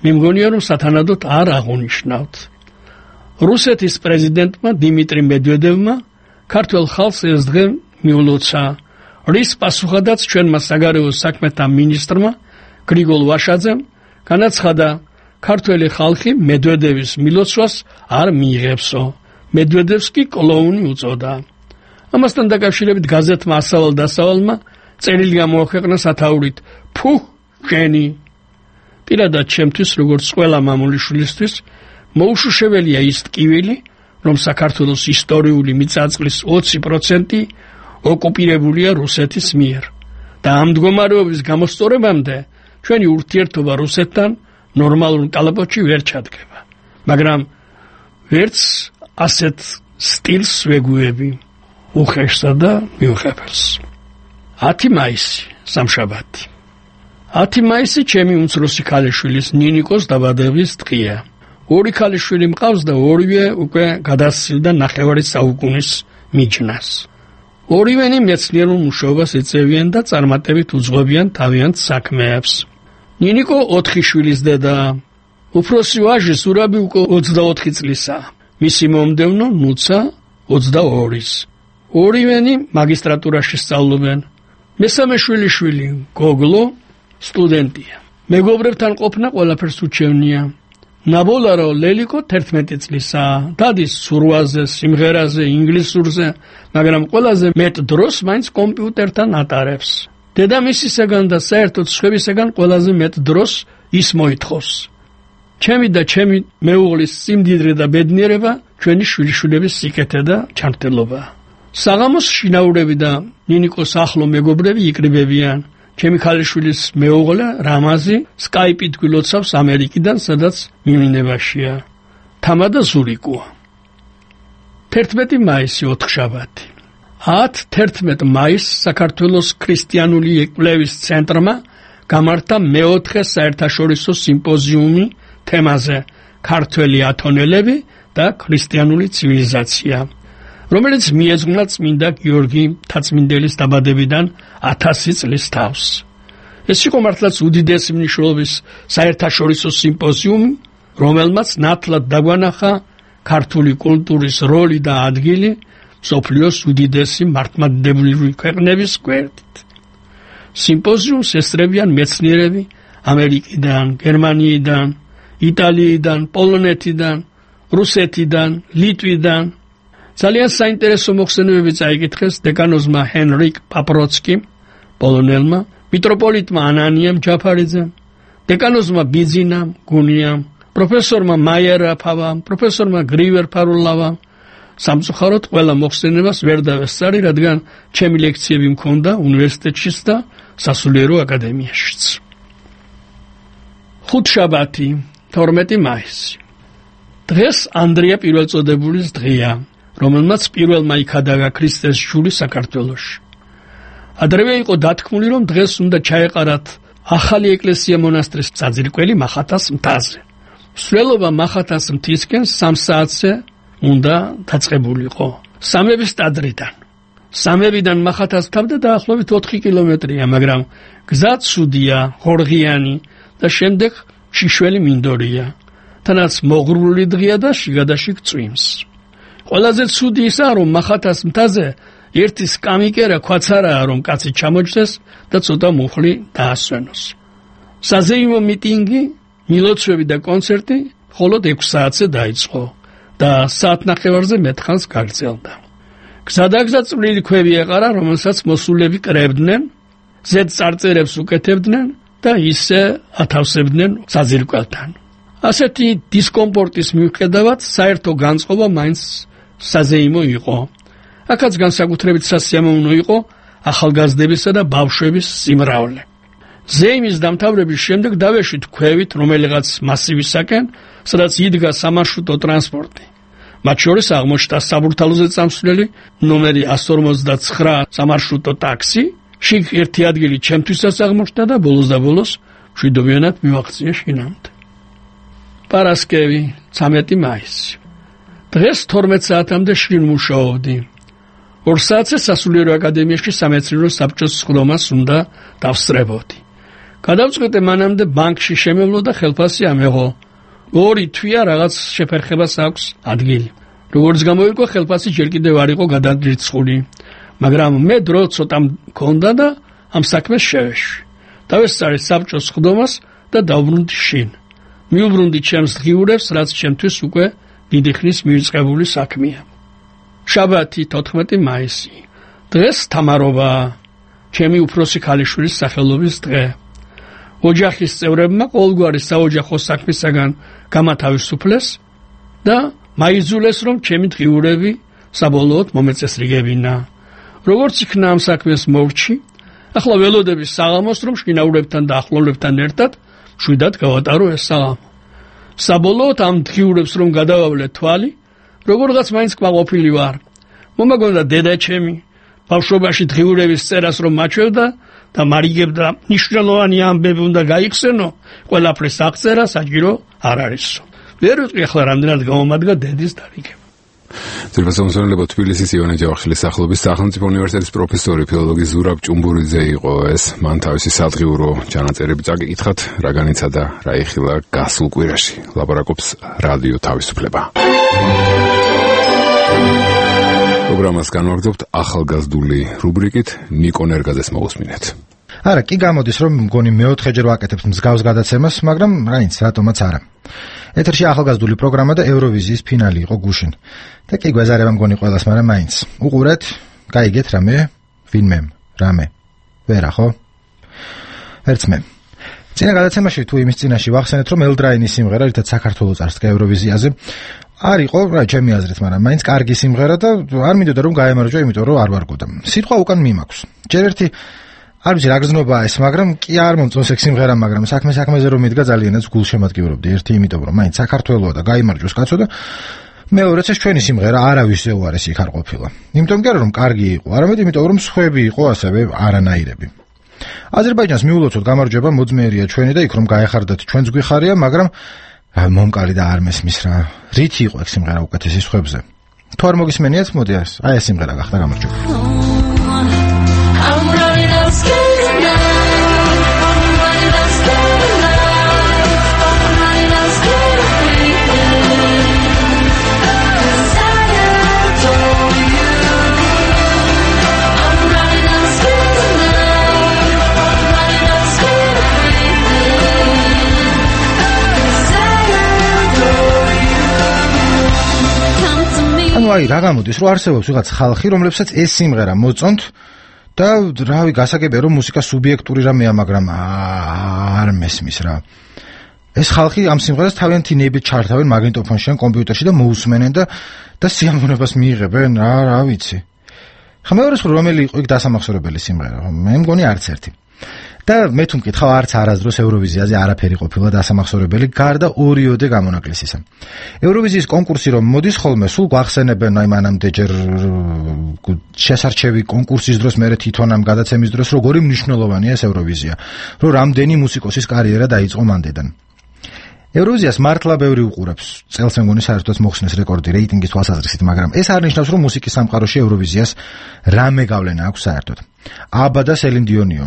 მე მგონია, რომ სათანადოდ არ აღუნიშნავთ. რუსეთის პრეზიდენტმა დიმიტრი მედვედევმა ქართველ ხალხს ეს დღე მიულოცა, რის პასუხადაც ჩვენმა საგარეო საქმეთა მინისტრმა გრიგოლ ვაშაძემ განაცხადა, ქართველი ხალხი მედვედევის მილოცვას არ მიიღებსო. მედვედევს კი კლოუნი უწოდა. ამასთან დაკავშირებით გაზეთმა ასავალ-დასავალმა წერილი გამოაქვეყნა სათაურით: ფუ, შენი. პირადად ჩემთვის, როგორც ყველა მამულიშვილისთვის, მოუშუშებელია ის ტკივილი, რომ საქართველოს ისტორიული მიწა-წყლის ოცი პროცენტი ოკუპირებულია რუსეთის მიერ და ამ მდგომარეობის გამოსწორებამდე ჩვენი ურთიერთობა რუსეთთან ნორმალურ კალაპოტში ვერ ჩადგება. მაგრამ ვერც ასეთ სტილს ვეგუები უხეშსა და მიუღებელს. ათი მაისი, სამშაბათი. ათი მაისი ჩემი უმცროსი ქალიშვილის ნინიკოს დაბადების დღეა. ორი ქალიშვილი მყავს და ორივე უკვე გადასცილდა ნახევარი საუკუნის მიჯნას. ორივენი მეცნიერულ მუშაობას ეწევიან და წარმატებით უძღვებიან თავიანთ საქმეებს. ნინიკო ოთხი შვილის დედაა. უფროსი ვაჟი ზურაბი უკვე ოცდაოთხი წლისაა. მისი მომდევნო ნუცა ოცდაორის. ორივენი მაგისტრატურაში სწავლობენ. მესამე შვილიშვილი გოგლო სტუდენტია. მეგობრებთან ყოფნა ყველაფერს უჩვენია. ნაბოლარო ლელიკო თერთმეტი წლისაა. დადის სურვაზე, სიმღერაზე, ინგლისურზე, მაგრამ ყველაზე მეტ დროს მაინც კომპიუტერთან ატარებს. დედამისისაგან და საერთოდ სხვებისაგან ყველაზე მეტ დროს ის მოითხოვს. ჩემი და ჩემი მეუღლის სიმდიდრე და ბედნიერება ჩვენი შვილიშვილების სიკეთე და ჩართელობა. საღამოს შინაურები და ნინიკოს ახლო მეგობრები იკრიბებიან. ჩემი ქალიშვილის მეუღლე რამაზი სკაიპით გილოცავს ამერიკიდან, სადაც მიმინებაშია. თამა და ზურიკოა. თერთმეტი მაისი, ოთხშაბათი. ათ თერთმეტ მაისს საქართველოს ქრისტიანული εκπλევის ცენტრმა გამართა მეოთხე საერთაშორისო სიმპოზიუმი თემაზე ქართველი ათონელები და ქრისტიანული ცივილიზაცია, რომელიც მიეძღვნა წმინდა გიორგი მთაწმინდელის დაბადებიდან ათასი წლის თავს. ეს იყო მართლაც უდიდესი მნიშვნელობის საერთაშორისო სიმპოზიუმი, რომელმაც ნათლად დაგვანახა ქართული კულტურის როლი და ადგილი მსოფლიოს უდიდესი მართლმადიდებლური ქვეყნების გვერდით. სიმპოზიუმს ესწრებიან მეცნიერები ამერიკიდან, გერმანიიდან, იტალიიდან, პოლონეთიდან, რუსეთიდან, ლიტვიდან. ძალიან საინტერესო მოხსენებები წაიკითხეს დეკანოზმა ჰენრიკ პაპროცკიმ, პოლონელმა, მიტროპოლიტმა ანანიამ ჯაფარიძემ, დეკანოზმა ბიძინამ გუნიამ, პროფესორმა მაია რაფავამ, პროფესორმა გრივერ ფარულავამ. სამწუხაროდ ყველა მოხსენებას ვერ დავესწარი, რადგან ჩემი ლექციები მქონდა უნივერსიტეტშიც და სასულიერო აკადემიაშიც. ხუთშაბათი, თორმეტი მაისი. დღეს ანდრია პირველწოდებულის დღეა, რომელმაც პირველმა იქადაგა ქრისტეს შული საქართველოში. ადრევე იყო დათქმული, რომ დღეს უნდა ჩაეყარათ ახალი ეკლესია მონასტრის საძირკველი მახათას მთაზე. მსვლელობა მახათას მთისკენ სამ საათზე უნდა დაწყებულიყო. სამების ტაძრიდან. სამებიდან მახათას თავდა დაახლოებით ოთხი კილომეტრია, მაგრამ გზა ცუდია, ღორღიანი და შემდეგ შიშველი მინდორია. თანაც მოღრული დღეა და შიგადაშიგ წვიმს. ყველაზე ცუდი ისაა, რომ მახათას მთაზე ერთი სკამიკერა ქვაცარაა, რომ კაცი ჩამოჯდეს და ცოტა მუხლი დაასვენოს. საზეიმო მიტინგი, მილოცვები და კონცერტი მხოლოდ ექვს საათზე დაიწყო და საათნახევარზე მეტხანს გაგრძელდა. გზადაგზა წვრილი ქვევი ეყარა, რომელსაც მოსულები კრებდნენ, ზედ წარწერებს უკეთებდნენ და ისე ათავსებდნენ საძირკველთან. ასეთი დისკომფორტის მიუხედავად საერთო განწყობა მაინც საზეიმო იყო. აქაც განსაკუთრებით სასიამოვნო იყო ახალგაზრდებისა და ბავშვების სიმრავლე. ზეიმის დამთავრების შემდეგ დავეშვით ქვევით რომელიღაც მასივისაკენ, სადაც იდგა სამარშრუტო ტრანსპორტი. მათ შორის აღმოჩნდა საბურთალოზე წამსვლელი ნომერი εκατს ორმოცდაცხრა სამარშრუტო ტაქსი, შიგ ერთი ადგილი ჩემთვისაც აღმოჩნდა და ბოლოს და ბოლოს მშვიდობიანად მივაღწია შინამდე. პარასკევი, ცამეტი მაისი. დღეს თორმეტ საათამდე შინ მუშაობდი. ორ საათზე სასულიერო აკადემიაში სამეცნიერო საბჭოს სხდომას უნდა დავსწრებოდი. გადავწყვიტე მანამდე ბანკში შემევლო და ხელფასი ამეღო. ორი თვია რაღაც შეფერხებას აქვს ადგილი. როგორც გამოირკვა, ხელფასი ჯერ კიდევ არ იყო გადადრიცხული, მაგრამ მე დრო ცოტა მქონდა და ამ საქმეს შევეშვი. დავესწარი საბჭოს სხდომას და დავბრუნდი შინ. მიუბრუნდი ჩემს დღიურებს, რაც ჩემთვის უკვე დიდი ხნის მივიწყებული საქმეა. შაბათი, თოთხმეტი მაისი. დღეს თამარობა, ჩემი უფროსი ქალიშვილის სახელობის დღე. ოჯახის წევრებმა ყოველგვარი საოჯახო საქმისაგან გამათავისუფლეს და მაიძულეს, რომ ჩემი დღიურები საბოლოოდ მომეწესრიგებინა. როგორც იქნა ამ საქმეს მორჩი, ახლა ველოდების საღამოს, რომ შინაურებთან და ახლობლებთან ერთად მშვიდად გავატარო ეს საღამო. საბოლოოდ ამ დღიურებს რომ გადავავლე თვალი, როგორღაც მაინც კმაყოფილი ვარ. მომაგონდა დედაჩემი ბავშვობაში დღიურების წერას რომ მაჩვევდა და მარიგებდა ნიშნულოვანი ამბები უნდა გაიხსენო, ყველაფრის აღწერა საჭირო არ არისო. ვერ ვიტყვი ახლა რამდენად გამომადგა დედის დარიგება. ძირფასამსვენებლო თბილისის ივანე ჯავახიშვილის სახელობის სახელმწიფო უნივერსიტეტის პროფესორი ფილოლოგი ზურაბ ჭუმბურიძე იყო ეს. მან თავისი სადღიურო ჩანაწერები წაკითხათ, რა განიცა და რა იხილა გასულ კვირაში. ლაპარაკობს რადიო თავისუფლება. პროგრამას განვაგრძობთ ახალგაზრდული რუბრიკით ნიკო ნერგაძეს მოусმინეთ. არა, კი გამოდის რომ მგონი მეოთხეჯერ ვაკეთებთ მსგავს გადაცემას, მაგრამ რაინც რატომაც არა. ეთერში ახალგაზრდული პროგრამა და ევროვიზიის ფინალი იყო გუშინ. და კი გვეზარება მგონი ყველას, მაგრამ მაინც. უყურეთ, გაიგეთ რამე, ვინმე, რამე. ვერა ხო? ერთს მე. წინა გადაცემაში თუ იმის წინაში ვახსენეთ, რომ ელდრაინის სიმღერა, რითაც საქართველოს წარსდგა ევროვიზიაზე, არ იყო, რა ჩემი აზრით, მაგრამ მაინც კარგი სიმღერა და არ მინდოდა რომ გაემარჯვა, იმიტომ რომ არ ვარგოდა. სიტყვა უკან მიმაქვს. ჯერ ერთი არ ვიცი რა გზნობაა ეს, მაგრამ კი არ მომწონს ეგ სიმღერა, მაგრამ საქმე საქმეზე რომ მიდგა ძალიანაც გულშემატკივრობდი. ერთი იმიტომ რომ მაინც საქართველოა და გაიმარჯვოს კაცო და მეორეც ეს ჩვენი სიმღერა არავის უარესი იქ არ ყოფილა. იმიტომ კი არა რომ კარგი იყო, არამედ იმიტომ რომ სხვები იყო ასევე არანაირები. აზერბაიჯანს მიულოცოთ გამარჯვება, მოძმეერია ჩვენი და იქ რომ გაეხარდათ ჩვენც გვიხარია, მაგრამ მომკალი და არ მესმის რა. რითი იყო ეგ სიმღერა უკეთესი სხვებზე? თუ არ მოგისმენიათ, მოდი ეს, აი ეს სიმღერა გახდა გამარჯვება. აი რა გამოდის რომ არსებობს ვიღაც ხალხი რომლებსაც ეს სიმღერა მოწონთ და რავი გასაგებია რომ მუსიკა სუბიექტური რამეა, მაგრამ არ მესმის რა. ეს ხალხი ამ სიმღერას თავიანთი ნებით ჩართავენ მაგნიტოფონში ან კომპიუტერში და მოусმენენ და და სიამოვნებას მიიღებენ რა რა ვიცი. ხა მეორე სულ რომელი იყო იქ დასამახსოვრებელი სიმღერა? მე მგონი არც ერთი. და მე თუ მკითხავ, არც არასდროს ევროვიზიაზე არაფერი ყოფილა დასამახსოვრებელი გარდა ორიოდე გამონაკლისისა. ევროვიზიის კონკურსი რომ მოდის ხოლმე, სულ გვახსენებენ აი მანამდე ჯერ შესარჩევი კონკურსის დროს, მერე თვითონ ამ გადაცემის დროს, როგორი მნიშვნელოვანია ეს ევროვიზია, რომ რამდენი მუსიკოსის კარიერა დაიწყო მანდედან. ევროვიზიას მართლა ბევრი უყურებს. წელს მე მგონი საერთოდ მოხსნეს რეკორდი რეიტინგის თვალსაზრისით, მაგრამ ეს არ ნიშნავს, რომ მუსიკის სამყაროში ევროვიზიას რამე გავლენა აქვს საერთოდ. აბა და სელინ დიონიო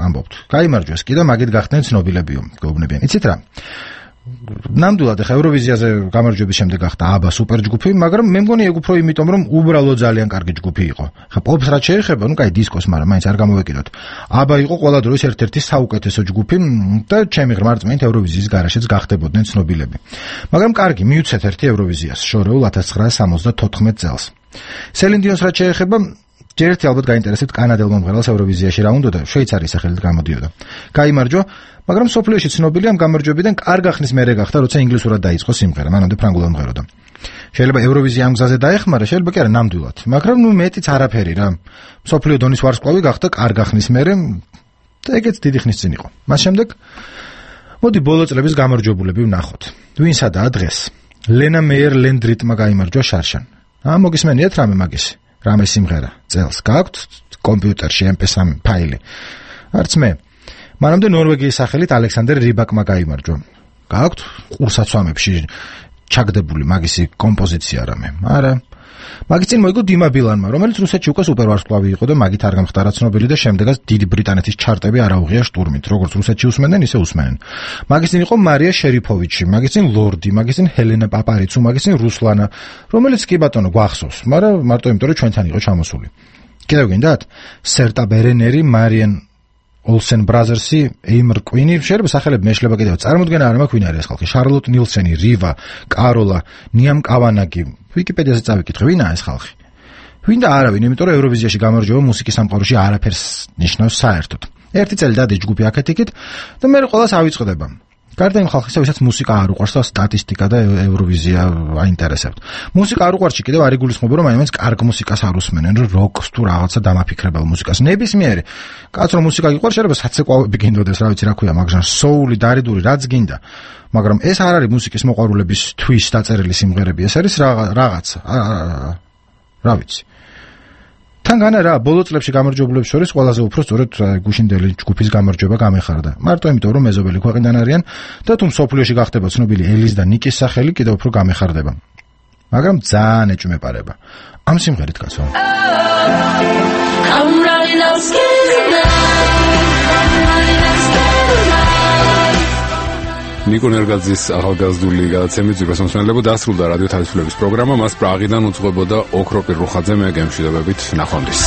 ამბობთ. გაიმარჯვეს კი და მაგით გახდნენ ცნობილებიო, გეუბნებიან. იცით რა? ნამდვილად ახლა ევროვიზიაზე გამარჯვების შემდეგ გახდა აბა სუპერ ჯგუფი, მაგრამ მე მგონი ეგ უფრო იმიტომ, რომ უბრალოდ ძალიან კარგი ჯგუფი იყო. ხა პოპს რაც შეეხება, ნუ კაი დისკოს, მაგრამ მაინც არ გამოვეკიდოთ. აბა იყო ყველა დროის ერთ-ერთი საუკეთესო ჯგუფი და ჩემი ღრმა რწმენით ევროვიზიის გარაშეც გახდებოდნენ ცნობილები. მაგრამ კარგი, მივცეთ ერთი ევროვიზიას შორეულ ათას ცხრაასი სამოცდათოთხმეტ წელს. სელინ დიონს რაც შეეხება, ჯერ ერთი ალბათ გაინტერესებთ კანადელ მომღერალს ევროვიზიაში რა უნდა და შვეიცარიის სახელით გამოდიოდა. გაიმარჯვა, მაგრამ სოფლიოში ცნობილი ამ გამარჯვებიდან კარგ ახნის მერე გახდა, როცა ინგლისურად დაიწყო სიმღერა, მანამდე ფრანგულად მომღეროდა. შეიძლება ევროვიზია ამ გზაზე დაეხმარა, შეიძლება კი არა ნამდვილად, მაგრამ ნუ მეტიც არაფერი რა. სოფლიო დონის ვარსკვლავი გახდა კარგ ახნის მერე და ეგეც დიდი ხნის წინ იყო. მას შემდეგ მოდი ბოლო წლების გამარჯვებულები ვნახოთ. ვინ სადაა დღეს? ლენა მეიერ ლენდრიტმა გაიმარჯვა შარშან. აა მოგისმენიათ რამე მაგისი? რამე სიმღერა წელს გაქვთ კომპიუტერში em p three ფაილი? არც მე. მანამდე ნორვეგიის სახელით ალექსანდერ რიბაკმა გაიმარჯვა. გაქვთ ყურსაცვამებში ჩაგდებული მაგისი კომპოზიცია რამე? არა. მაგის წინ მოიგო დიმა ბილანმა, რომელიც რუსეთში უკვე სუპერვარსკვლავი იყო და მაგით არ გამხდარა ცნობილი და შემდეგაც დიდი ბრიტანეთის ჩარტები არ აუღია შტურმით, როგორც რუსეთში უსმენდნენ, ისე უსმენენ. მაგის წინ იყო მარია შერიფოვიჩი, მაგის წინ ლორდი, მაგის წინ ჰელენა პაპარიცუ, მაგის წინ რუსლანა, რომელიც კი ბატონო გვახსოვს, მაგრამ მარტო იმიტომ რომ ჩვენთან იყო ჩამოსული. კიდევ გინდათ? სერტა ბერენერი, მარიან Olsen Brothers-ი, Eimer Queen-ი, შეიძლება სახელები მეშლება კიდევ. წარმოდგენა არ მაქვს ვინ არის ეს ხალხი. Charlotte Nilsson-ი, Riva, Carola, Niam Kavanaghi. Wikipediაზე წავიკითხე, ვინაა ეს ხალხი? ვინ და არავინ, იმიტომ რომ ევროვიზიაში გამარჯვება მუსიკის სამყაროში არაფერს ნიშნავს საერთოდ. ერთი წელი დადის ჯგუფი აქეთ-იქით და მე ყველას ავიწყდება. გარდა იმ ხალხისა, ვისაც მუსიკა არ უყვარს და სტატისტიკა და ევროვიზია აინტერესებთ. მუსიკა არ უყვარს, კიდევ არ იგულისხმება, რომ აიმენს კარგ მუსიკას არ უსმენენ, რომ როკს თუ რაღაცა დამაფიქრებელ მუსიკას. ნებისმიერი კაც რომ მუსიკა გიყვარს, შეიძლება საცეკვავები გინდოდეს, რა ვიცი რა ქვია, მაგრამ სოული, დარიდური რაც გინდა. მაგრამ ეს არ არის მუსიკის მოყვარულების თვის დაწერილი სიმღერები, ეს არის რაღაცა. რა ვიცი. თან განა რა, ბოლო წლებში გამარჯვებულებს შორის ყველაზე უფრო სწორედ გუშინდელი ჯგუფის გამარჯვება გამეხარდა. მარტო იმიტომ, რომ მეზობელი ქვეყნიდან არიან და თუ მსოფლიოში გახდება ცნობილი ელის და ნიკის სახელი კიდევ უფრო გამეხარდება. მაგრამ ძალიან ეჭვმეპარება. ამ სიმღერით კაცო. ნიკო ნერგაძის ახალგაზრდული გადაცემით ზურგას მოსმენელებო დასრულდა რადიო თავისუფლების პროგრამა. მას პრაღიდან უძღვებოდა ოქროპირ რუხაძე, მე გემშვიდობებით ნახვამდის.